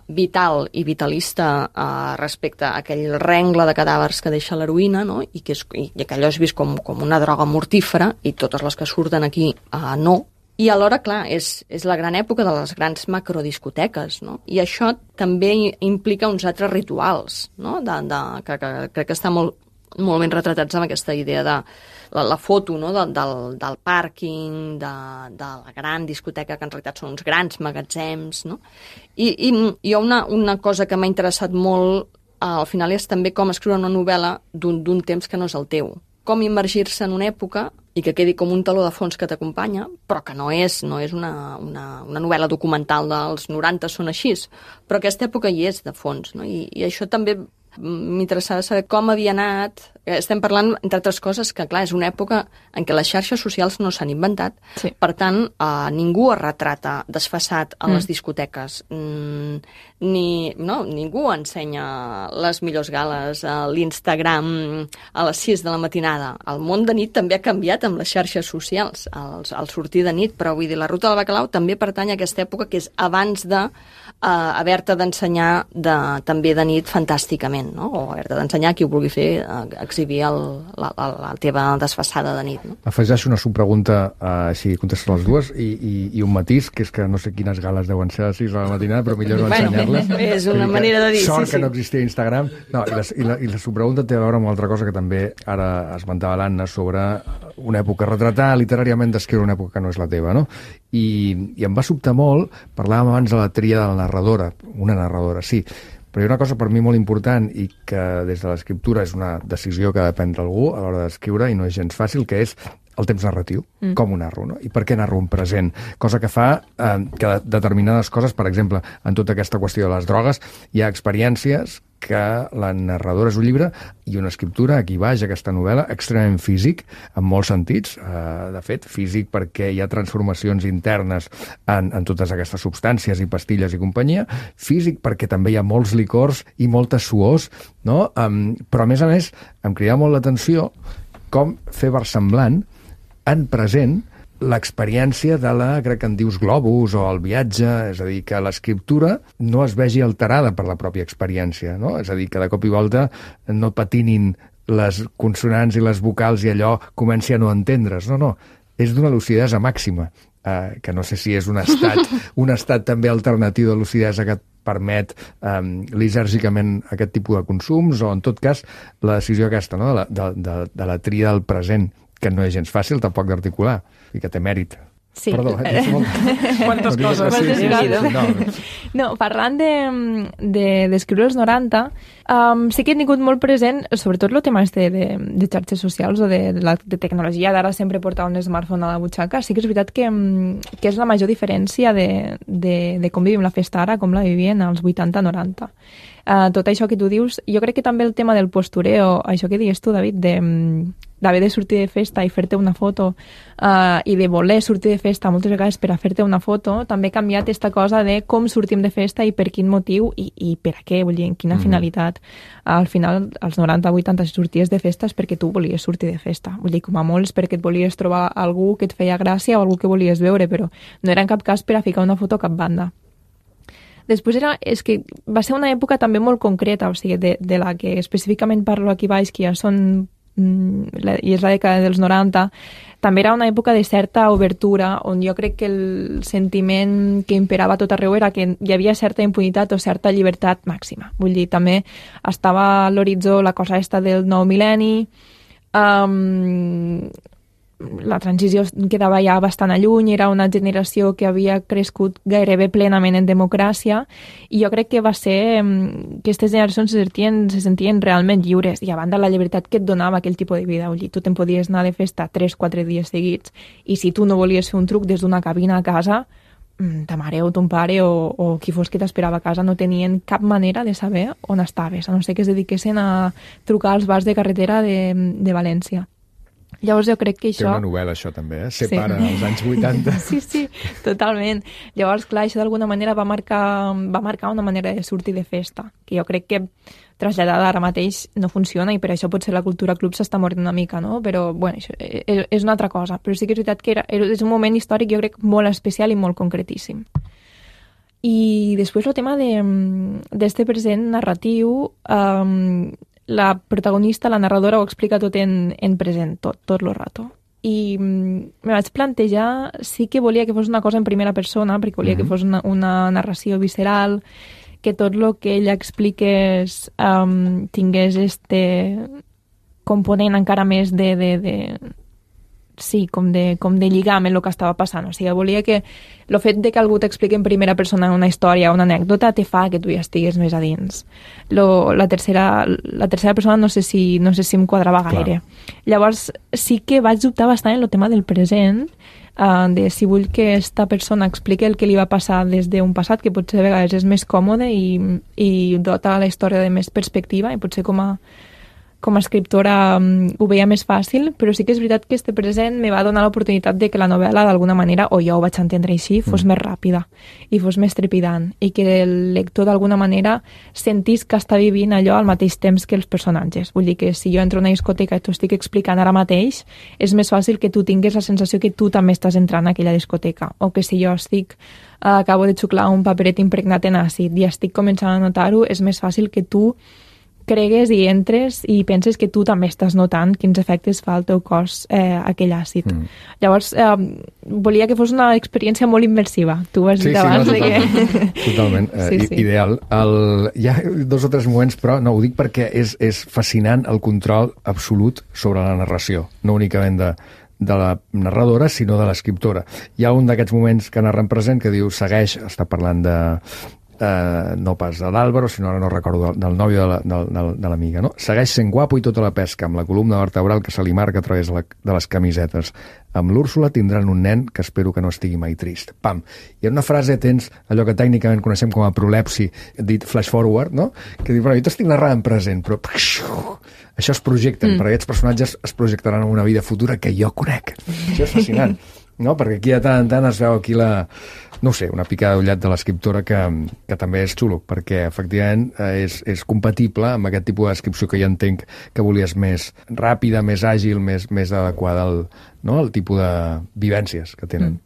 vital i vitalista eh, respecte a aquell rengle de cadàvers que deixa l'heroïna, no? I, que és, i que allò és vist com, com una droga mortífera, i totes les que surten aquí eh, no. I alhora, clar, és, és la gran època de les grans macrodiscoteques, no? I això també implica uns altres rituals, no? De, de, que, que crec que està molt, molt ben retratats amb aquesta idea de la, la foto, no? de, del, del pàrquing, de, de la gran discoteca, que en realitat són uns grans magatzems, no? I, i hi ha una, una cosa que m'ha interessat molt, eh, al final, és també com escriure una novel·la d'un temps que no és el teu. Com immergir-se en una època i que quedi com un taló de fons que t'acompanya, però que no és, no és una, una, una novel·la documental dels noranta, són així, però aquesta època hi és de fons, no? I, i això també m'interessava saber com havia anat. Estem parlant, entre altres coses, que clar, és una època en què les xarxes socials no s'han inventat. Sí. Per tant, eh, ningú es retrata desfasat a les mm. discoteques. Mm, ni, no, ningú ensenya les millors gales a l'Instagram a les sis de la matinada. El món de nit també ha canviat amb les xarxes socials, al, al sortir de nit, però vull dir, la ruta del bacalao també pertany a aquesta època que és abans de eh, haver-te d'ensenyar de, també de nit fantàsticament, no? O haver-te d'ensenyar qui ho vulgui fer, eh, exhibir el, la, la, la teva desfassada de nit, no? Afegeixo una subpregunta, uh, així contestes les dues, i, i, i un matís, que és que no sé quines gales deuen ser a les sis de la matinada, però millor no bueno, ensenyar-les. És una manera de dir, sort sí, que sí. no existia Instagram. No, i, la, i, la, I la subpregunta té a veure amb una altra cosa que també ara esmentava l'Anna, sobre una època, retratar literàriament, descriure una època que no és la teva, no? I, i em va sobtar molt, parlàvem abans de la tria de la narradora, una narradora, sí, però hi ha una cosa per mi molt important i que des de l'escriptura és una decisió que ha de prendre algú a l'hora d'escriure i no és gens fàcil, que és el temps narratiu, mm. com ho narro, no? I per què narro un present? Cosa que fa eh, que determinades coses, per exemple, en tota aquesta qüestió de les drogues, hi ha experiències que la narradora és un llibre i una escriptura, aquí baix, aquesta novel·la, extremament físic, en molts sentits, eh, de fet, físic perquè hi ha transformacions internes en, en totes aquestes substàncies i pastilles i companyia, físic perquè també hi ha molts licors i moltes suors, no? Um, però a més a més em cridava molt l'atenció com fer versemblant en present l'experiència de la, crec que en dius globus o el viatge, és a dir, que l'escriptura no es vegi alterada per la pròpia experiència, no? És a dir, que de cop i volta no patinin les consonants i les vocals i allò comenci a no entendre's, no, no, és d'una lucidesa màxima, eh, que no sé si és un estat, un estat també alternatiu de lucidesa que et permet um, lisèrgicament aquest tipus de consums, o en tot cas la decisió aquesta, no? de, la, de, de, de la tria del present, que no és gens fàcil tampoc d'articular, i que té mèrit. Sí. Perdó, eh? molt... Quantes coses. Sí, sí, sí, sí, no. no, parlant d'escriure de, de, els noranta, um, sí que he tingut molt present, sobretot el tema de, de, de xarxes socials o de, de, la, de tecnologia, d'ara sempre portar un smartphone a la butxaca. Sí que és veritat que, que és la major diferència de, de, de com vivim la festa ara, com la vivien als vuitanta noranta. uh, tot això que tu dius, jo crec que també el tema del postureo, això que dius tu, David, de d'haver de sortir de festa i fer-te una foto uh, i de voler sortir de festa moltes vegades per a fer-te una foto, també ha canviat aquesta cosa de com sortim de festa i per quin motiu i, i per a què, vull dir, en quina mm. finalitat. Al final, als noranta vuitanta, si sorties de festa és perquè tu volies sortir de festa. Vull dir, com a molts, perquè et volies trobar algú que et feia gràcia o algú que volies veure, però no era en cap cas per a ficar una foto a cap banda. Després era, és que va ser una època també molt concreta, o sigui, de, de la que específicament parlo aquí baix, que ja són i és la dècada dels noranta, també era una època de certa obertura on jo crec que el sentiment que imperava tot arreu era que hi havia certa impunitat o certa llibertat màxima. Vull dir, també estava a l'horitzó la cosa esta del nou mil·lenni, um, la transició quedava ja bastant a lluny, era una generació que havia crescut gairebé plenament en democràcia i jo crec que va ser que aquestes generacions se sentien, se sentien realment lliures i a banda la llibertat que et donava aquell tipus de vida. Vull dir, tu te'n podies anar de festa tres quatre dies seguits i si tu no volies fer un truc des d'una cabina a casa, ta mare o ton pare o, o qui fos que t'esperava a casa no tenien cap manera de saber on estaves, a no ser que es dediquessin a trucar als bars de carretera de, de València. Llavors jo crec que això... Té una novel·la, això, també, eh? Separa sí. els anys vuitanta. Sí, sí, totalment. Llavors, clar, això d'alguna manera va marcar, va marcar una manera de sortir de festa, que jo crec que traslladada ara mateix no funciona i per això potser la cultura club s'està morint una mica, no? Però, bueno, això és, és una altra cosa. Però sí que és veritat que era, és un moment històric, jo crec, molt especial i molt concretíssim. I després el tema d'este present narratiu... Um, la protagonista, la narradora, ho explica tot en, en present, tot, tot el rato. I me vaig plantejar, sí que volia que fos una cosa en primera persona, perquè volia mm-hmm. que fos una, una narració visceral, que tot el que ella expliqués um, tingués este component encara més de... de, de sí, com de, com de lligar amb el que estava passant. O sigui, volia que el fet de que algú t'expliqui en primera persona una història o una anècdota te fa que tu ja estigues més a dins. Lo, la, tercera, la tercera persona no sé si, no sé si em quadrava gaire. Clar. Llavors, sí que vaig dubtar bastant en el tema del present, uh, de si vull que esta persona expliqui el que li va passar des d'un passat, que potser de vegades és més còmode i, i dota la història de més perspectiva, i potser com a com a escriptora um, ho veia més fàcil, però sí que és veritat que este present me va donar l'oportunitat de que la novel·la d'alguna manera, o jo ho vaig entendre així, fos mm. més ràpida i fos més trepidant i que el lector d'alguna manera sentís que està vivint allò al mateix temps que els personatges. Vull dir que si jo entro a una discoteca i t'ho estic explicant ara mateix, és més fàcil que tu tingues la sensació que tu també estàs entrant a aquella discoteca, o que si jo estic uh, acabo de xuclar un paperet impregnat en àcid i estic començant a notar-ho, és més fàcil que tu cregues i entres i penses que tu també estàs notant quins efectes fa al teu cos eh, aquell àcid. Mm. Llavors, eh, volia que fos una experiència molt immersiva. Tu ho has dit sí, abans. Sí, no, totalment. Que... totalment. Eh, sí, sí. Ideal. El... Hi ha dos o tres moments, però no, ho dic perquè és, és fascinant el control absolut sobre la narració, no únicament de, de la narradora, sinó de l'escriptora. Hi ha un d'aquests moments que narra en present que diu, segueix, està parlant de... Uh, no pas de l'Àlvaro, sinó ara no recordo del, del nòvio de, la, de, de l'amiga, no? Segueix sent guapo i tota la pesca, amb la columna vertebral que se li marca a través de, la, de les camisetes. Amb l'Úrsula tindran un nen que espero que no estigui mai trist. Pam! I en una frase tens allò que tècnicament coneixem com a prolepsi, dit flash forward, no? Que diu, però jo t'estic narrant en present, però això es projecten, mm. perquè aquests personatges es projectaran en una vida futura que jo conec. Això és fascinant, no? Perquè aquí de tant en tant es veu aquí la... no sé, una picada d'ullet de l'escriptora que, que també és xulo, perquè efectivament és, és compatible amb aquest tipus de descripció que jo entenc que volies més ràpida, més àgil, més, més adequada al, no? al tipus de vivències que tenen. Mm.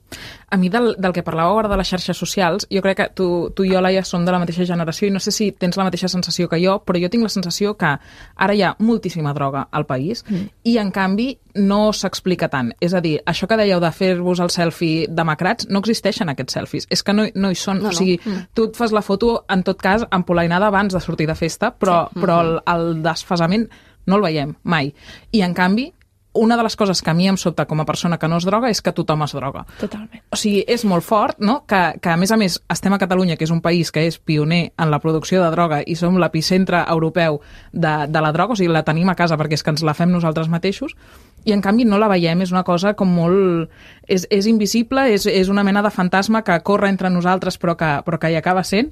A mi del, del que parlàveu ara de les xarxes socials, jo crec que tu, tu i jo, Laia, som de la mateixa generació i no sé si tens la mateixa sensació que jo, però jo tinc la sensació que ara hi ha moltíssima droga al país mm. i, en canvi, no s'explica tant. És a dir, això que dèieu de fer-vos el selfie demacrats, no existeixen aquests selfies. És que no, no hi són. No, no. O sigui, mm. tu et fas la foto, en tot cas, empolainada abans de sortir de festa, però, sí. però el, el desfasament no el veiem mai. I, en canvi, una de les coses que a mi em sobta com a persona que no es droga és que tothom es droga. Totalment. O sigui, és molt fort, no?, que, que a més a més estem a Catalunya, que és un país que és pioner en la producció de droga i som l'epicentre europeu de, de la droga, o sigui, la tenim a casa perquè és que ens la fem nosaltres mateixos, i en canvi no la veiem, és una cosa com molt... És, és invisible, és, és una mena de fantasma que corre entre nosaltres però que, però que hi acaba sent,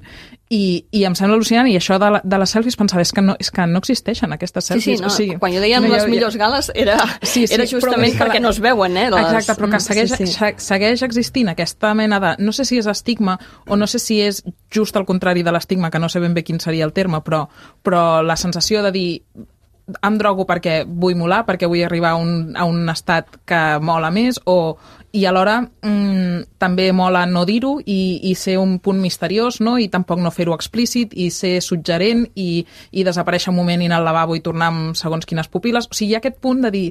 i, i em sembla al·lucinant, i això de, la, de les selfies pensava, és que no, és que no existeixen aquestes selfies. Sí, sí, no, o sigui, quan jo dèiem no, les jo, millors gales era, sí, sí, era justament però, perquè no es veuen, eh? Les... Exacte, però que segueix, sí, sí. segueix existint aquesta mena de... No sé si és estigma o no sé si és just al contrari de l'estigma, que no sé ben bé quin seria el terme, però, però la sensació de dir em drogo perquè vull molar, perquè vull arribar a un, a un estat que mola més, o, i alhora mmm, també mola no dir-ho i, i ser un punt misteriós, no? I tampoc no fer-ho explícit i ser suggerent i, i desaparèixer un moment i anar al lavabo i tornar amb segons quines pupil·les. O sigui, hi ha aquest punt de dir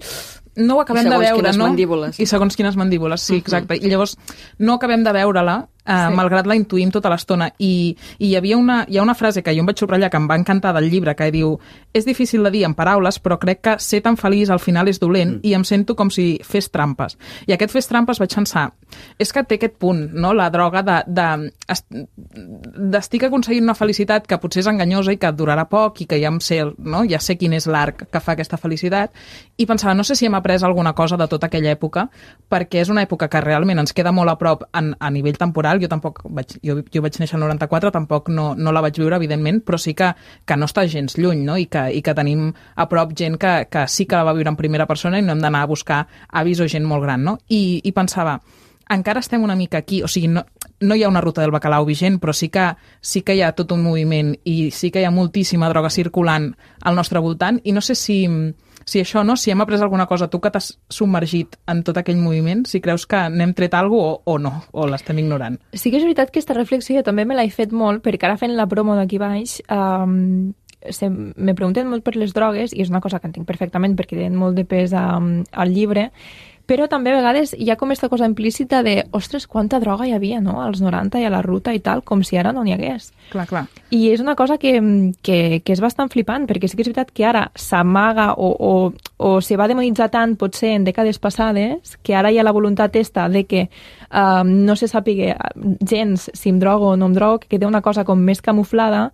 no ho acabem de veure, no? Mandíbules. I segons quines mandíbules, sí, exacte. Uh-huh. I llavors no acabem de veure-la, eh, sí. malgrat la intuïm tota l'estona. I, i hi havia una, hi ha una frase que jo em vaig subratllar que em va encantar del llibre, que diu, és difícil de dir en paraules, però crec que ser tan feliç al final és dolent mm. i em sento com si fes trampes. I aquest fes trampes vaig pensar, és que té aquest punt, no? La droga de, de, d'estic aconseguint una felicitat que potser és enganyosa i que durarà poc i que ja em sé, no? Ja sé quin és l'arc que fa aquesta felicitat, i pensava, no sé si hem après alguna cosa de tota aquella època, perquè és una època que realment ens queda molt a prop en, a nivell temporal. Jo tampoc vaig, jo, jo vaig néixer el noranta-quatre, tampoc no, no la vaig viure, evidentment, però sí que, que no està gens lluny, no? I que, i que tenim a prop gent que, que sí que la va viure en primera persona i no hem d'anar a buscar avis o gent molt gran, no? I, i pensava, encara estem una mica aquí, o sigui, no, no hi ha una ruta del bacalao vigent, però sí que, sí que hi ha tot un moviment i sí que hi ha moltíssima droga circulant al nostre voltant, i no sé si... si això, no? Si hem après alguna cosa, tu que t'has submergit en tot aquell moviment, si creus que n'hem tret alguna cosa o, o no, o l'estem ignorant. Sí que és veritat que aquesta reflexió jo també me l'he fet molt, perquè ara fent la promo d'aquí baix, um, se, me pregunten molt per les drogues, i és una cosa que entenc perfectament perquè tenen molt de pes um, al llibre, però també a vegades hi ha com aquesta cosa implícita de, ostres, quanta droga hi havia, no?, als noranta i a la ruta i tal, com si ara no n'hi hagués. Clar, clar. I és una cosa que, que, que és bastant flipant, perquè sí que és veritat que ara s'amaga o, o, o se va demonitzar tant, potser en dècades passades, que ara hi ha la voluntat esta de que um, no se sàpiga gens si em drogo o no em drogo, que queda una cosa com més camuflada,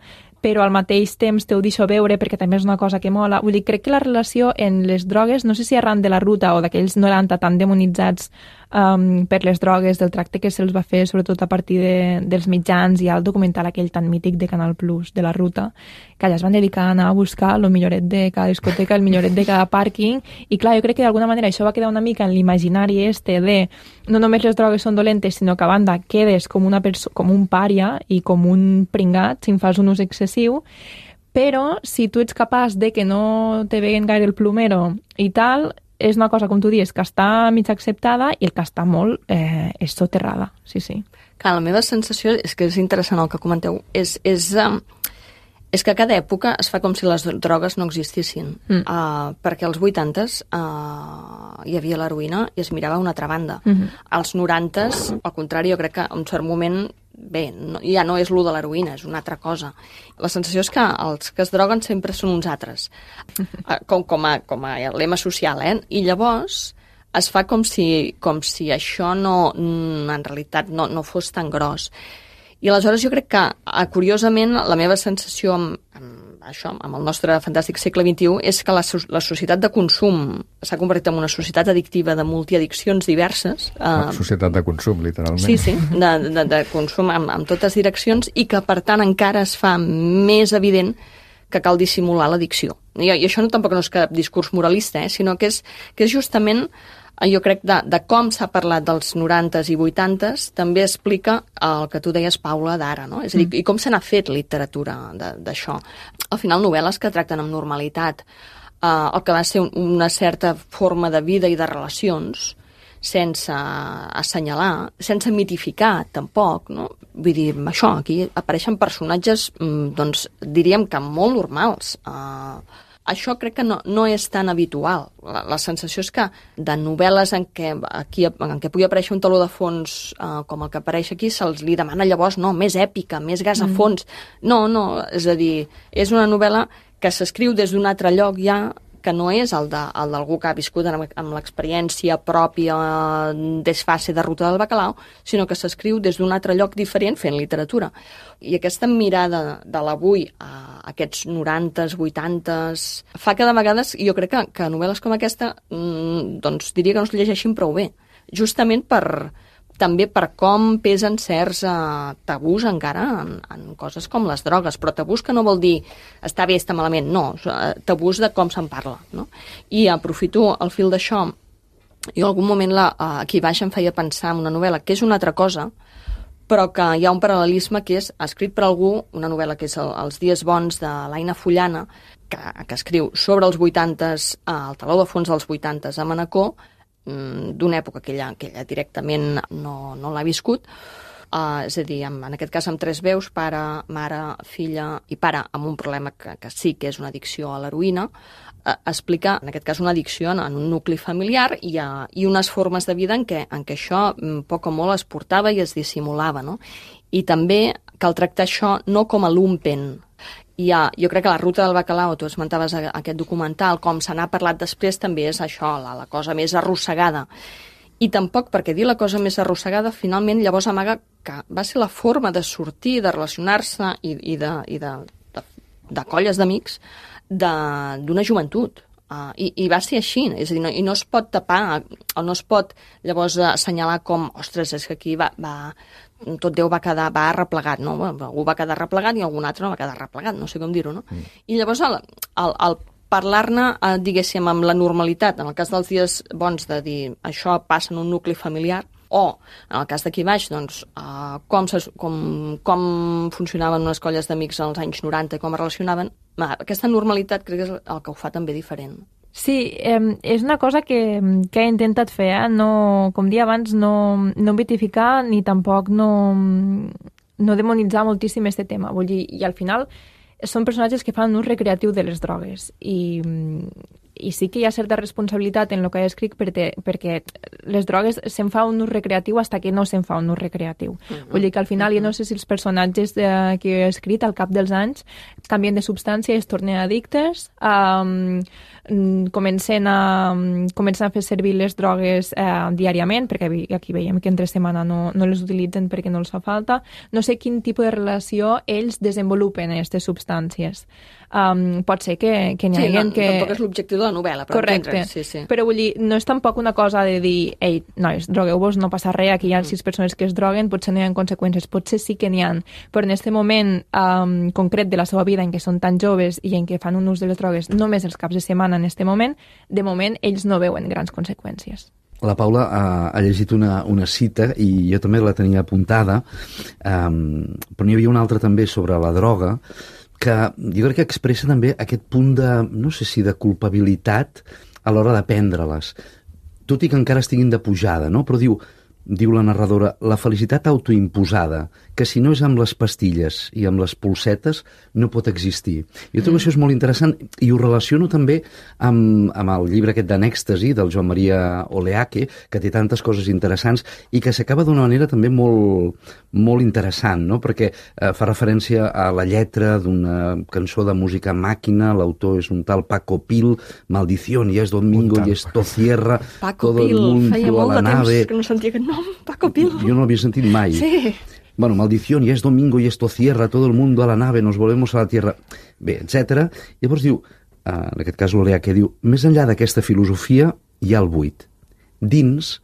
però al mateix temps te ho deixo veure perquè també és una cosa que mola. Vull dir, crec que la relació en les drogues, no sé si arran de la ruta o d'aquells noranta tan demonitzats um, per les drogues, del tracte que se'ls va fer, sobretot a partir de, dels mitjans, i el documental aquell tan mític de Canal Plus, de la ruta, que allà es van dedicar a anar a buscar el milloret de cada discoteca, el milloret de cada pàrquing, i clar, jo crec que d'alguna manera això va quedar una mica en l'imaginari este de no només les drogues són dolentes, sinó que a banda quedes com, una com un pària i com un pringat si en fas un ús excessiu, però si tu ets capaç de que no te veguen gaire el plomero i tal, és una cosa, com tu dius, que està mig acceptada, i el que està molt eh, és soterrada, sí, sí. Clar, la meva sensació és que és interessant el que comenteu, és, és, um, és que a cada època es fa com si les drogues no existissin, mm. uh, perquè als vuitantes uh, hi havia l'heroïna i es mirava a una altra banda. Mm-hmm. Als norantes, al contrari, jo crec que en un cert moment bé, no, ja no és lo de l'heroïna, és una altra cosa. La sensació és que els que es droguen sempre són uns altres, uh, com, com, a, com a lema social, eh? I llavors es fa com si, com si això no, en realitat no, no fos tan gros. I aleshores jo crec que, curiosament, la meva sensació amb, amb això, amb el nostre fantàstic segle vint-i-u, és que la, la societat de consum s'ha convertit en una societat addictiva de multiaddiccions diverses. Una uh, societat de consum, literalment. Sí, sí, de, de, de consum amb, amb totes direccions, i que, per tant, encara es fa més evident que cal dissimular l'addicció. I, I això no, tampoc no és cap discurs moralista, eh, sinó que és, que és justament... Jo crec de, de com s'ha parlat dels norantes i vuitantes també explica el que tu deies, Paula, d'ara, no? És a dir, mm. i com se n'ha fet literatura d'això. Al final, novel·les que tracten amb normalitat eh, el que va ser un, una certa forma de vida i de relacions, sense assenyalar, sense mitificar, tampoc, no? Vull dir, això, aquí apareixen personatges, doncs, diríem que molt normals. Eh, Això crec que no, no és tan habitual. La, la sensació és que de novel·les en què, aquí, en què pugui aparèixer un taló de fons eh, com el que apareix aquí, se'ls li demana llavors no, més èpica, més gas a fons. Mm. No, no, és a dir, és una novel·la que s'escriu des d'un altre lloc ja, que no és el de, el d'algú que ha viscut amb, amb l'experiència pròpia desfase de Ruta del Bacalao, sinó que s'escriu des d'un altre lloc diferent fent literatura. I aquesta mirada de l'avui a aquests norantes, vuitantes, fa que de vegades, jo crec que, que novel·les com aquesta, doncs diria que no es llegeixin prou bé, justament per... també per com pesen certs uh, tabús encara en, en coses com les drogues, però tabús que no vol dir està bé, està malament, no, tabús de com se'n parla, no? I aprofito el fil d'això, jo en algun moment la, uh, aquí baix em feia pensar en una novel·la que és una altra cosa, però que hi ha un paral·lelisme que és escrit per algú, una novel·la que és el, Els dies bons de l'Aina Fullana, que, que escriu sobre els vuitantes, uh, el teló de fons dels vuitantes a Manacor, d'una època que ella, que ella directament no, no l'ha viscut, uh, és a dir, en, en aquest cas amb tres veus, pare, mare, filla i pare, amb un problema que, que sí que és una addicció a l'heroïna, uh, explica, en aquest cas, una addicció en, en un nucli familiar i, uh, i unes formes de vida en què, en què això poc o molt es portava i es dissimulava, no? I també cal tractar això no com a lumpen. I ha, jo crec que la Ruta del Bacalao, tu esmentaves aquest documental, com se n'ha parlat després, també és això, la, la cosa més arrossegada. I tampoc, perquè dir la cosa més arrossegada, finalment llavors amaga que va ser la forma de sortir, de relacionar-se i, i, de, i de, de, de colles d'amics d'una joventut. Uh, i, I va ser així, és a dir, no, i no es pot tapar, o no es pot llavors assenyalar com, ostres, és que aquí va, va, tot Déu va quedar, va arreplegat, no? Algú va quedar arreplegat i algun altre no va quedar arreplegat, no sé com dir-ho, no? Mm. I llavors el, el, el parlar-ne, eh, diguéssim, amb la normalitat, en el cas dels dies bons de dir això passa en un nucli familiar, o, en el cas d'aquí baix, doncs, uh, com, se, com, com funcionaven unes colles d'amics als anys noranta i com es relacionaven, aquesta normalitat crec que és el que ho fa també diferent. Sí, eh, és una cosa que, que he intentat fer, eh? No, com dia abans, no, no vitificar ni tampoc no, no demonitzar moltíssim aquest tema. Vull dir, i al final són personatges que fan un ús recreatiu de les drogues i, i sí que hi ha certa responsabilitat en el que he escrit perquè, perquè les drogues se'n fa un ús recreatiu fins que no se'n fa un ús recreatiu. Uh-huh. Vull dir que al final, uh-huh. jo no sé si els personatges de, que he escrit al cap dels anys canvien de substància i es tornen addictes, um, comencen a, comencen a fer servir les drogues eh, diàriament, perquè aquí veiem que entre setmana no, no les utilitzen perquè no els fa falta. No sé quin tipus de relació ells desenvolupen aquestes substàncies. Um, pot ser que, que n'hi sí, hagi no, que... tampoc és l'objectiu de la novel·la, però correcte. Sí, sí. Però vull dir, no és tampoc una cosa de dir, ei, nois, drogueu-vos, no passa res, aquí hi ha sis persones que es droguen, potser no hi ha conseqüències, potser sí que n'hi ha, però en aquest moment um, concret de la seva vida en què són tan joves i en què fan un ús de les drogues només els caps de setmana en aquest moment, de moment ells no veuen grans conseqüències. La Paula ha, ha llegit una, una cita i jo també la tenia apuntada, um, però n'hi havia una altra també sobre la droga, que jo crec que expressa també aquest punt de, no sé si de culpabilitat a l'hora de prendre-les, tot i que encara estiguin de pujada, no? Però diu, diu la narradora, la felicitat autoimposada, que si no és amb les pastilles i amb les polsetes, no pot existir. Jo trobo mm. això és molt interessant i ho relaciono també amb, amb el llibre aquest d'Anèxtasi del Joan Maria Oleaque, que té tantes coses interessants i que s'acaba d'una manera també molt, molt interessant, no? Perquè eh, fa referència a la lletra d'una cançó de música màquina, l'autor és un tal Paco Pil, Maldición, ya es domingo y esto cierra, Paco todo Pil, el mundo feia molt a la de nave. Temps que no sentia aquest nom, Paco Pil. Jo no l'havia sentit mai. Sí. Bueno, maldición, ya es domingo y esto cierra, todo el mundo a la nave, nos volvemos a la tierra, bé, etcètera. Llavors diu, en aquest cas l'Olea, que diu, més enllà d'aquesta filosofia hi ha el buit. Dins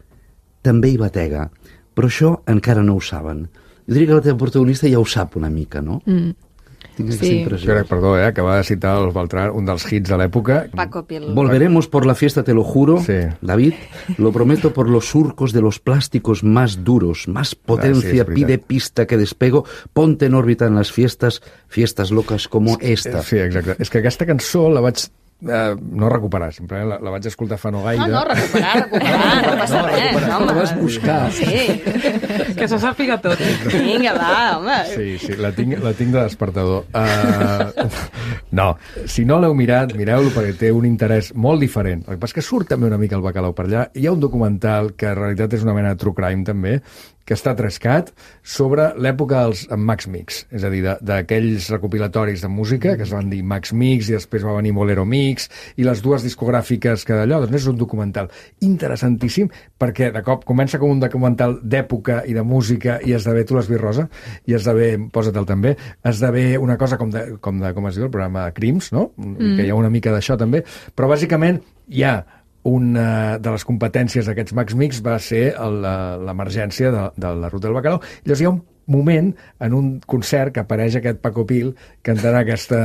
també hi batega, però això encara no ho saben. Jo diria que la teva protagonista ja ho sap una mica, no? Mm. Tinc sí. impressió. Crec, perdó, eh, que va citar el Beltrán, un dels hits de l'època. Paco Pil. Volveremos por la fiesta, te lo juro, sí. David, lo prometo por los surcos de los plásticos más duros, más potencia, ah, sí, pide pista que despego, ponte en òrbita en las fiestas, fiestas locas como esta. Sí, exacte. És que aquesta cançó la vaig eh, no recuperar, simplement la, la vaig escoltar fa no gaire. No, no, recuperar, recuperar, no passa no, res, recuperar, home. La vas buscar. Sí. Que se sàpiga tot. Vinga, va, home. Sí, sí, la tinc, la tinc de despertador. Uh, no, si no l'heu mirat, mireu-lo perquè té un interès molt diferent. El que passa és que surt també una mica el Bacalao per allà. Hi ha un documental que en realitat és una mena de true crime també, que està trescat sobre l'època dels Max Mix, és a dir, d'aquells recopilatoris de música que es van dir Max Mix i després va venir Bolero Mix i les dues discogràfiques que d'allò, doncs és un documental interessantíssim perquè de cop comença com un documental d'època i de música i esdevé, tu l'has vist, Rosa, i esdevé, posa-te'l també, esdevé una cosa com de, com de, com es diu, el programa Crims, no? Mm. Que hi ha una mica d'això també, però bàsicament hi ha una de les competències d'aquests Max Mix va ser l'emergència de, de la Ruta del Bacalao. Llavors hi ha un moment en un concert que apareix aquest Paco Pil cantant aquesta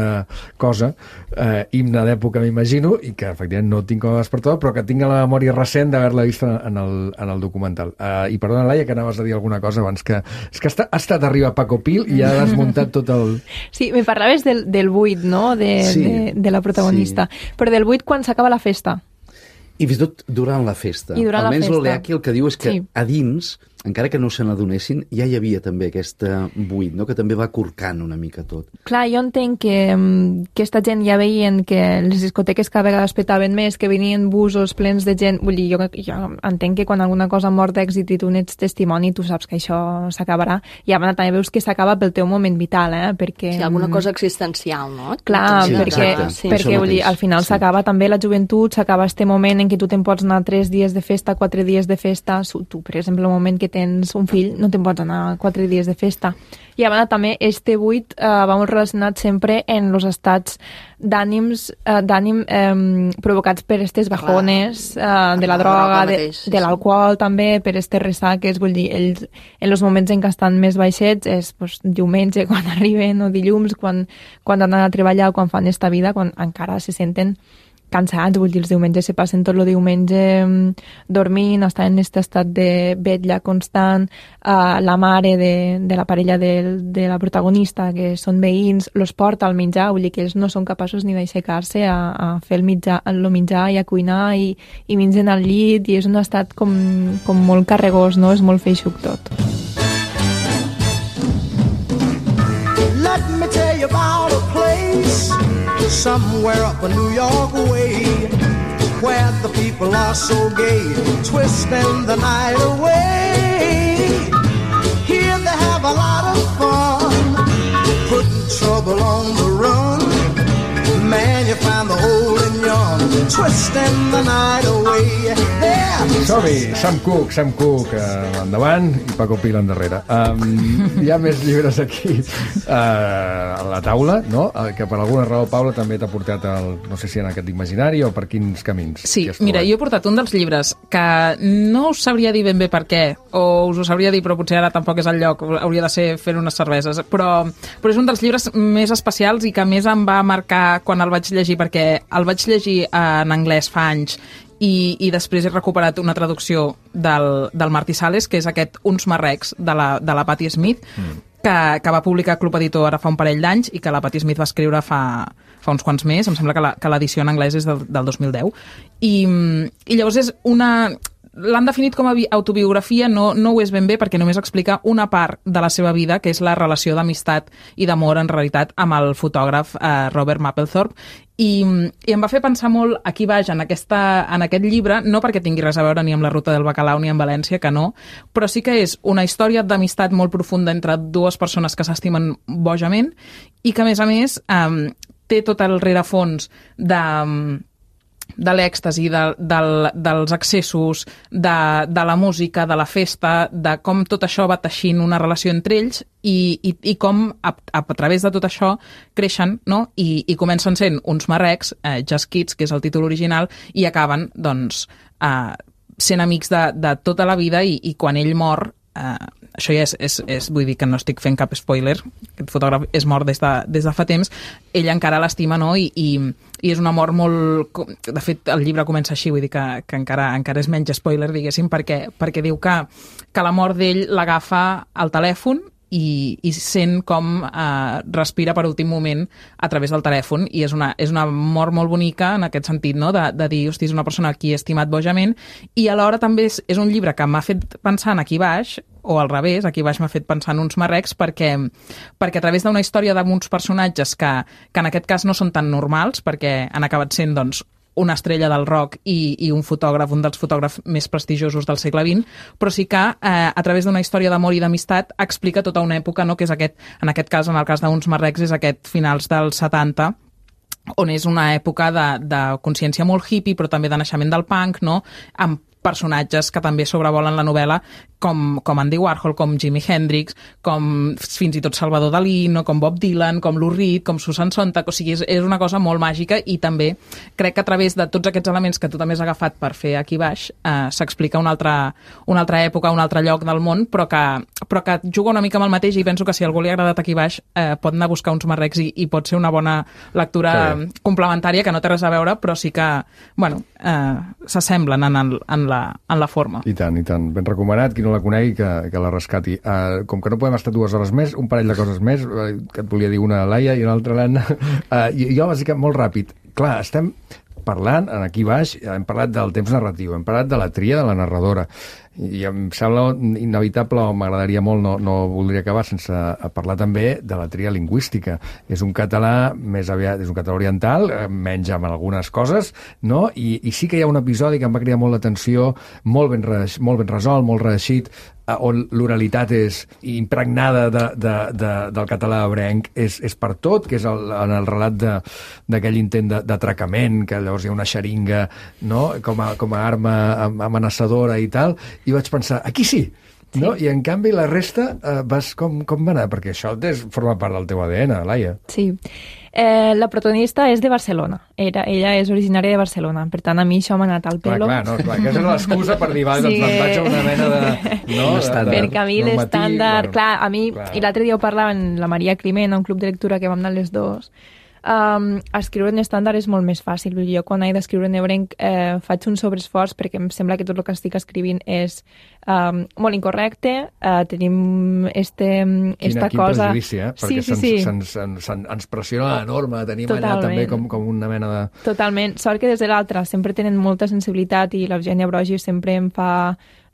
cosa, eh, himne d'època, m'imagino, i que efectivament no tinc com a despertador, però que tinc a la memòria recent d'haver-la vist en el, en el documental. Eh, I perdona, Laia, que anaves a dir alguna cosa abans, que és que ha estat arriba Paco Pil i ha desmuntat tot el... Sí, me parlaves del, del buit, no?, de, sí, de, de la protagonista. Sí. Però del buit quan s'acaba la festa. I fins i tot durant la festa. I durant Almenys la festa. l'Oleaki el que diu és que sí. a dins, encara que no se n'adonessin, ja hi havia també aquesta buit, no?, que també va corcant una mica tot. Clar, jo entenc que um, aquesta gent ja veien que les discoteques cada vegada es petaven més, que venien busos plens de gent. Vull dir, jo, jo entenc que quan alguna cosa mort d'èxit i tu n'ets testimoni, tu saps que això s'acabarà. I a banda també veus que s'acaba pel teu moment vital, eh? Perquè... Sí, alguna cosa existencial, no? Clar, sí, perquè, sí. perquè vull dir, al final s'acaba sí. també la joventut, s'acaba este moment en què tu te'n pots anar tres dies de festa, quatre dies de festa. Tu, per exemple, el moment que tens un fill, no te'n pots anar quatre dies de festa. I a banda també, este buit eh, va molt relacionat sempre en els estats d'ànims eh, d'ànim eh, provocats per aquestes bajones eh, de la droga, de, de l'alcohol també, per aquestes ressaques. Vull dir, ells en els moments en què estan més baixets és pues, diumenge, quan arriben, o dilluns, quan, quan han d'anar a treballar o quan fan esta vida, quan encara se senten cansats, vull dir, els diumenges se passen tot el diumenge dormint, estan en aquest estat de vetlla constant, uh, la mare de, de la parella de, de la protagonista, que són veïns, los porta al menjar, vull dir que ells no són capaços ni d'aixecar-se a, a fer el mitjà, el menjar i a cuinar i, i mengen al llit, i és un estat com, com molt carregós, no? És molt feixuc tot. Let me tell you about a place somewhere up a New York way, where the people are so gay, twisting the night away. Here they have a lot of fun, putting trouble on the run. Man, you find the hole in yon, twisting the night away. Som-hi, Sam Cooke, Sam Cooke uh, endavant i Paco Pil endarrere. Um, hi ha més llibres aquí uh, a la taula, no? Uh, que per alguna raó, Paula, també t'ha portat el, no sé si en aquest imaginari o per quins camins. Sí, mira, jo he portat un dels llibres que no us sabria dir ben bé per què, o us ho sabria dir, però potser ara tampoc és el lloc, hauria de ser fent unes cerveses, però, però és un dels llibres més especials i que més em va marcar quan el vaig llegir, perquè el vaig llegir en anglès fa anys i, i després he recuperat una traducció del, del Martí Sales, que és aquest Uns marrecs de la, de la Patti Smith, mm. que, que va publicar Club Editor ara fa un parell d'anys i que la Patti Smith va escriure fa, fa uns quants més. Em sembla que l'edició en anglès és del, del dos mil deu. I, i llavors és una... L'han definit com a autobiografia, no, no ho és ben bé perquè només explica una part de la seva vida, que és la relació d'amistat i d'amor, en realitat, amb el fotògraf eh, Robert Mapplethorpe. I, I em va fer pensar molt aquí baix, en, aquesta, en aquest llibre, no perquè tingui res a veure ni amb la Ruta del Bacalao ni amb València, que no, però sí que és una història d'amistat molt profunda entre dues persones que s'estimen bojament i que, a més a més, eh, té tot el rerefons de... de l'èxtasi, de, del, dels accessos, de, de la música, de la festa, de com tot això va teixint una relació entre ells i, i, i com a, a, a través de tot això creixen, no? I, i comencen sent uns marrecs, eh, Just Kids, que és el títol original, i acaben doncs, eh, sent amics de, de tota la vida i, i quan ell mor, eh, això ja és, és, és, vull dir que no estic fent cap spoiler, aquest fotògraf és mort des de, des de fa temps, ell encara l'estima, no? I, i, i és una mort molt... De fet, el llibre comença així, vull dir que, que encara, encara és menys spoiler, diguéssim, perquè, perquè diu que, que la mort d'ell l'agafa al telèfon i, i sent com eh, respira per últim moment a través del telèfon, i és una, és una mort molt bonica en aquest sentit, no? de, de dir, hosti, és una persona a qui he estimat bojament, i alhora també és, és un llibre que m'ha fet pensar en aquí baix, o al revés, aquí baix m'ha fet pensar en uns marrecs, perquè, perquè a través d'una història d'uns personatges que, que en aquest cas no són tan normals, perquè han acabat sent doncs, una estrella del rock i, i un fotògraf, un dels fotògrafs més prestigiosos del segle vint, però sí que eh, a través d'una història d'amor i d'amistat explica tota una època, no? Que és aquest, en aquest cas, en el cas d'Uns marrecs, és aquest finals dels setanta, on és una època de, de consciència molt hippie, però també de naixement del punk, no? Amb personatges que també sobrevolen la novel·la, com, com Andy Warhol, com Jimi Hendrix, com fins i tot Salvador Dalí, no? Com Bob Dylan, com Lou Reed, com Susan Sontag. O sigui, és, és una cosa molt màgica i també crec que a través de tots aquests elements que tu també has agafat per fer aquí baix eh, s'explica una altra, una altra època, un altre lloc del món, però que, però que juga una mica amb el mateix, i penso que si a algú li ha agradat aquí baix eh, pot anar a buscar Uns marrecs i, i pot ser una bona lectura complementària, que no té res a veure, però sí que, bueno, eh, s'assemblen en, el, en, la, en la forma. I tant, i tant. Ben recomanat. Qui no la conegui, que, que la rescati. Uh, com que no podem estar dues hores més, un parell de coses més, uh, que et volia dir una a Laia i una altra a l'Anna. Uh, i jo, bàsicament, molt ràpid. Clar, estem parlant, aquí baix, hem parlat del temps narratiu, hem parlat de la tria de la narradora, i em sembla inevitable, o m'agradaria molt, no, no voldria acabar sense parlar també de la tria lingüística. És un català més aviat, és un català oriental, menys amb algunes coses, no? I, i sí que hi ha un episodi que em va cridar molt l'atenció, molt ben, reix, molt ben resolt, molt reeixit, on l'oralitat és impregnada de, de, de, del català ebrenc, és, és per tot, que és el, en el relat d'aquell intent d'atracament, que llavors hi ha una xeringa, no? com, a, com a arma amenaçadora i tal, i vaig pensar, aquí sí, no? Sí. I en canvi la resta eh, vas com, com va anar? Perquè això des, forma part del teu A D N, Laia. Sí. Eh, la protagonista és de Barcelona. Era, ella és originària de Barcelona. Per tant, a mi això m'ha anat al pelo. Clar, clar, no, clar, aquesta és l'excusa per dir, va, sí, doncs me'n vaig a una mena de... No, de, de, perquè a mi l'estàndard... Bueno, clar, a mi... clar. I l'altre dia ho parlava amb la Maria Climent, a un club de lectura que vam anar les dos. Um, escriure en estàndard és molt més fàcil. Jo, quan he d'escriure en ebrenc, eh, faig un sobreesforç perquè em sembla que tot el que estic escrivint és um, molt incorrecte. Uh, tenim este, esta quin, cosa... Quin prejudici, eh? Perquè sí, sí, sí. Se'ns, se'ns, se'ns, ens pressiona la norma. Tenim Totalment. allà també com, com una mena de... Totalment. Sort que des de l'altra sempre tenen molta sensibilitat, i l'Eugènia Brogi sempre em fa...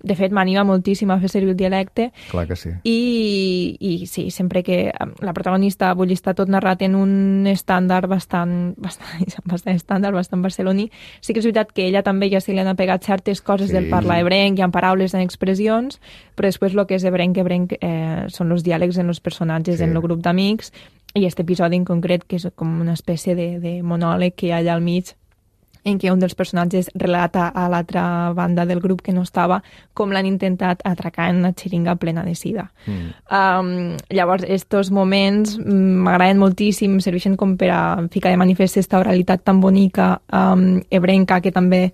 De fet, m'anima moltíssim a fer servir el dialecte. Clar que sí. I, i sí, sempre que la protagonista, vull dir, està tot narrat en un estàndard bastant, bastant, bastant estàndard, bastant barceloní, sí que és veritat que ella també ja se li han pegat certes coses sí. del parlar ebrenc, hi ha paraules en expressions, però després el que és ebrenc, ebrenc eh, són els diàlegs en els personatges, sí. en el grup d'amics, i aquest episodi en concret, que és com una espècie de, de monòleg que hi ha allà al mig, en què un dels personatges relata a l'altra banda del grup que no estava com l'han intentat atracar en una xeringa plena de sida. Mm. Um, llavors, estos moments m'agraden moltíssim, serveixen com per a ficar de manifest aquesta oralitat tan bonica, um, ebrenca, que també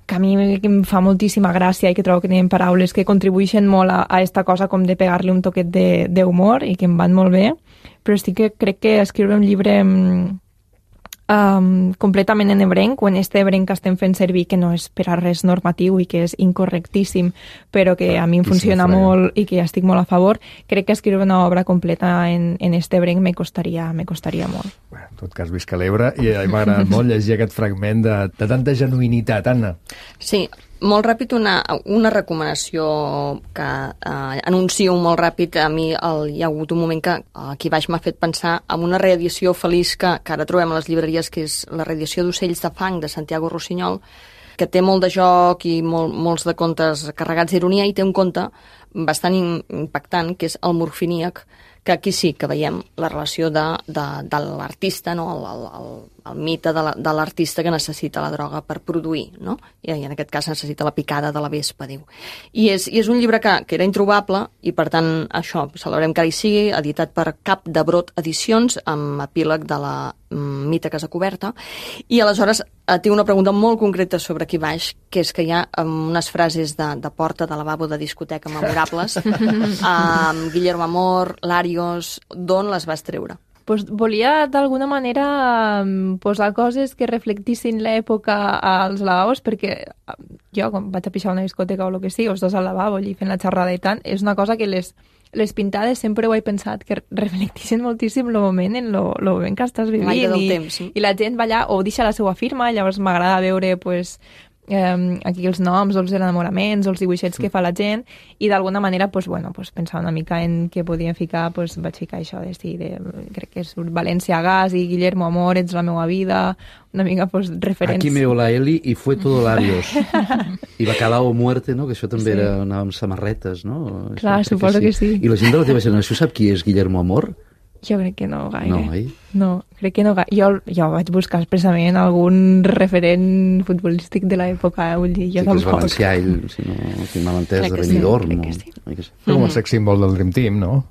que a mi em fa moltíssima gràcia i que trobo que tenen paraules que contribueixen molt a, a esta cosa com de pegar-li un toquet d'humor i que em van molt bé, però sí que crec que escriure un llibre... Um, completament en ebrenc, o en este ebrenc que estem fent servir, que no és per a res normatiu i que és incorrectíssim, però que a mi em funciona molt i que estic molt a favor, crec que escriure una obra completa en, en este ebrenc me costaria, me costaria molt. Bueno, en tot cas, visca l'Ebre, i m'ha agradat molt llegir aquest fragment de, de tanta genuïnitat, Anna. Sí, molt ràpid, una, una recomanació que eh, anuncio molt ràpid. A mi el, hi ha hagut un moment que aquí baix m'ha fet pensar en una reedició feliç que, que ara trobem a les llibreries, que és la reedició d'Ocells de fang de Santiago Rossinyol, que té molt de joc i molt, molts de contes carregats d'ironia, i té un conte bastant impactant, que és el Morfiníac, que aquí sí que veiem la relació de, de, de l'artista, no? el, el, el, el mite de l'artista que necessita la droga per produir, no? I en aquest cas necessita la picada de la vespa, diu. I és, i és un llibre que, que era introbable, i per tant això, celebrem que ara hi sigui, editat per Cap de Brot Edicions, amb epíleg de la mm, Mita Casa Coberta, i aleshores eh, té una pregunta molt concreta sobre aquí baix, que és que hi ha um, unes frases de, de porta de lavabo de discoteca memorables, amb Guillermo Amor, Larios, d'on les vas treure? Pues volia d'alguna manera posar coses que reflectissin l'època als lavabos, perquè jo, quan vaig a pixar una discoteca o el que sigui, els dos al lavabo i fent la xerrada i tant, és una cosa que les, les pintades sempre ho he pensat, que reflectissin moltíssim el moment en el moment que estàs vivint. L'aire del i, temps. Sí. I la gent va allà o deixa la seva firma, llavors m'agrada veure pues, eh, aquí els noms o els enamoraments o els dibuixets que fa la gent, i d'alguna manera pues, bueno, pues, pensar una mica en què podien ficar, pues, vaig ficar això de, sí, de, crec que és València Gas i Guillermo Amor, ets la meva vida, una mica pues, referents. Aquí me la Eli i fue todo labios. I Bacalao o Muerte, no? Que això també Sí. era, anava amb samarretes, no? Clar, Això, crec suposo que sí. I la gent de la teva generació sap qui és Guillermo Amor? Jo crec que no gaire. No, oi? No, crec que no gaire. Jo, jo vaig buscar expressament algun referent futbolístic de l'època, eh? Vull dir, jo Sí que és tampoc. valencià, ell, si no tinc mal entès, Crec de que sí, Benidorm. crec o- que sí. oi que sí. Com el sex symbol del Dream Team, no?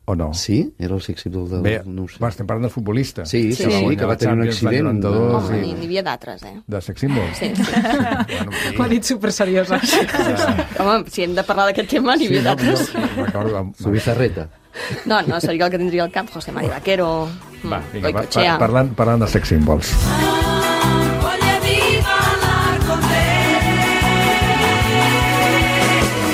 O no? Sí? Era el sex symbol del... Bé, no ho sé. va, estem parlant del futbolista. Sí, sí, Sí. sí, que va tenir un Champions l'any accident. noranta-dos. Home, sí. n'hi n'hi havia d'altres, eh? De sex symbol? Sí, sí. Bueno, sí. Ho ha dit superseriosa. Home, si hem de parlar d'aquest tema, n'hi havia no, d'altres. no, recordo, amb- Su bizarreta. No, no, seria el que tindria al cap José María Vaquero, Va, mm, vinga, pa, pa, Goicoechea. parlant, parlant de sex symbols. Voglio di ballar con te.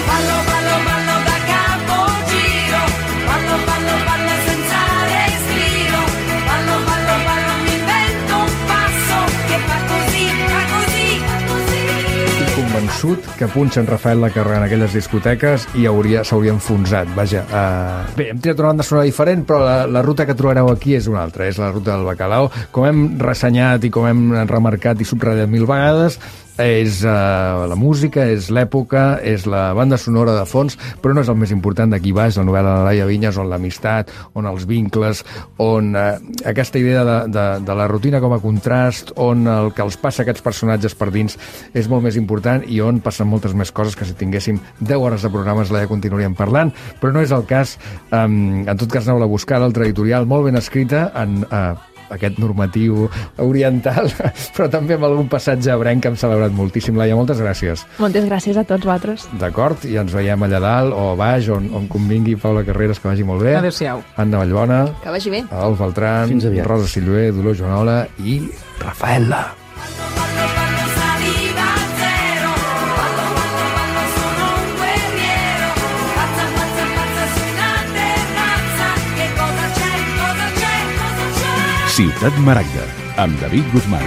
Ballo, ballo, ballo da capogiro. Ballo, ballo, ballo senza respiro. Ballo, ballo, ballo, mi invento un passo che fa così, fa così, fa così. Estic convençut que punxen Rafael la Carrera en aquelles discoteques i hauria s'hauria enfonsat. Vaja, uh... bé, hem triat una banda sonora diferent, però la, la ruta que trobareu aquí és una altra, és la ruta del Bacalao. Com hem ressenyat i com hem remarcat i subratllat mil vegades, és uh, la música, és l'època, és la banda sonora de fons, però no és el més important d'aquí baix, la novel·la de Laia Vinyes, on l'amistat, on els vincles, on uh, aquesta idea de, de, de la rutina com a contrast, on el que els passa a aquests personatges per dins és molt més important i on passen moltes més coses que si tinguéssim deu hores de programes Laia continuaríem parlant, però no és el cas. Um, en tot cas, aneu a buscar l'altra editorial molt ben escrita en... Uh, aquest normatiu oriental, però també amb algun passatge ebrenc que hem celebrat moltíssim. Laia, moltes gràcies. Moltes gràcies a tots vosaltres. D'acord? I ens veiem allà dalt o a baix, on, on convingui. Paula Carreras, que vagi molt bé. Adéu-siau. Anna Vallbona, Que vagi bé. Alf Beltran, Fins aviat. Rosa Silvé, Dolors Joanola i Rafaela. Ballo, ballo, saliva zero. Ballo, ballo, ballo, sono un guerriero. Pazza, pazza, pazza su una terrazza. Che cosa c'è, cosa c'è, cosa c'è? Ciutat Maragda, amb David Guzmán.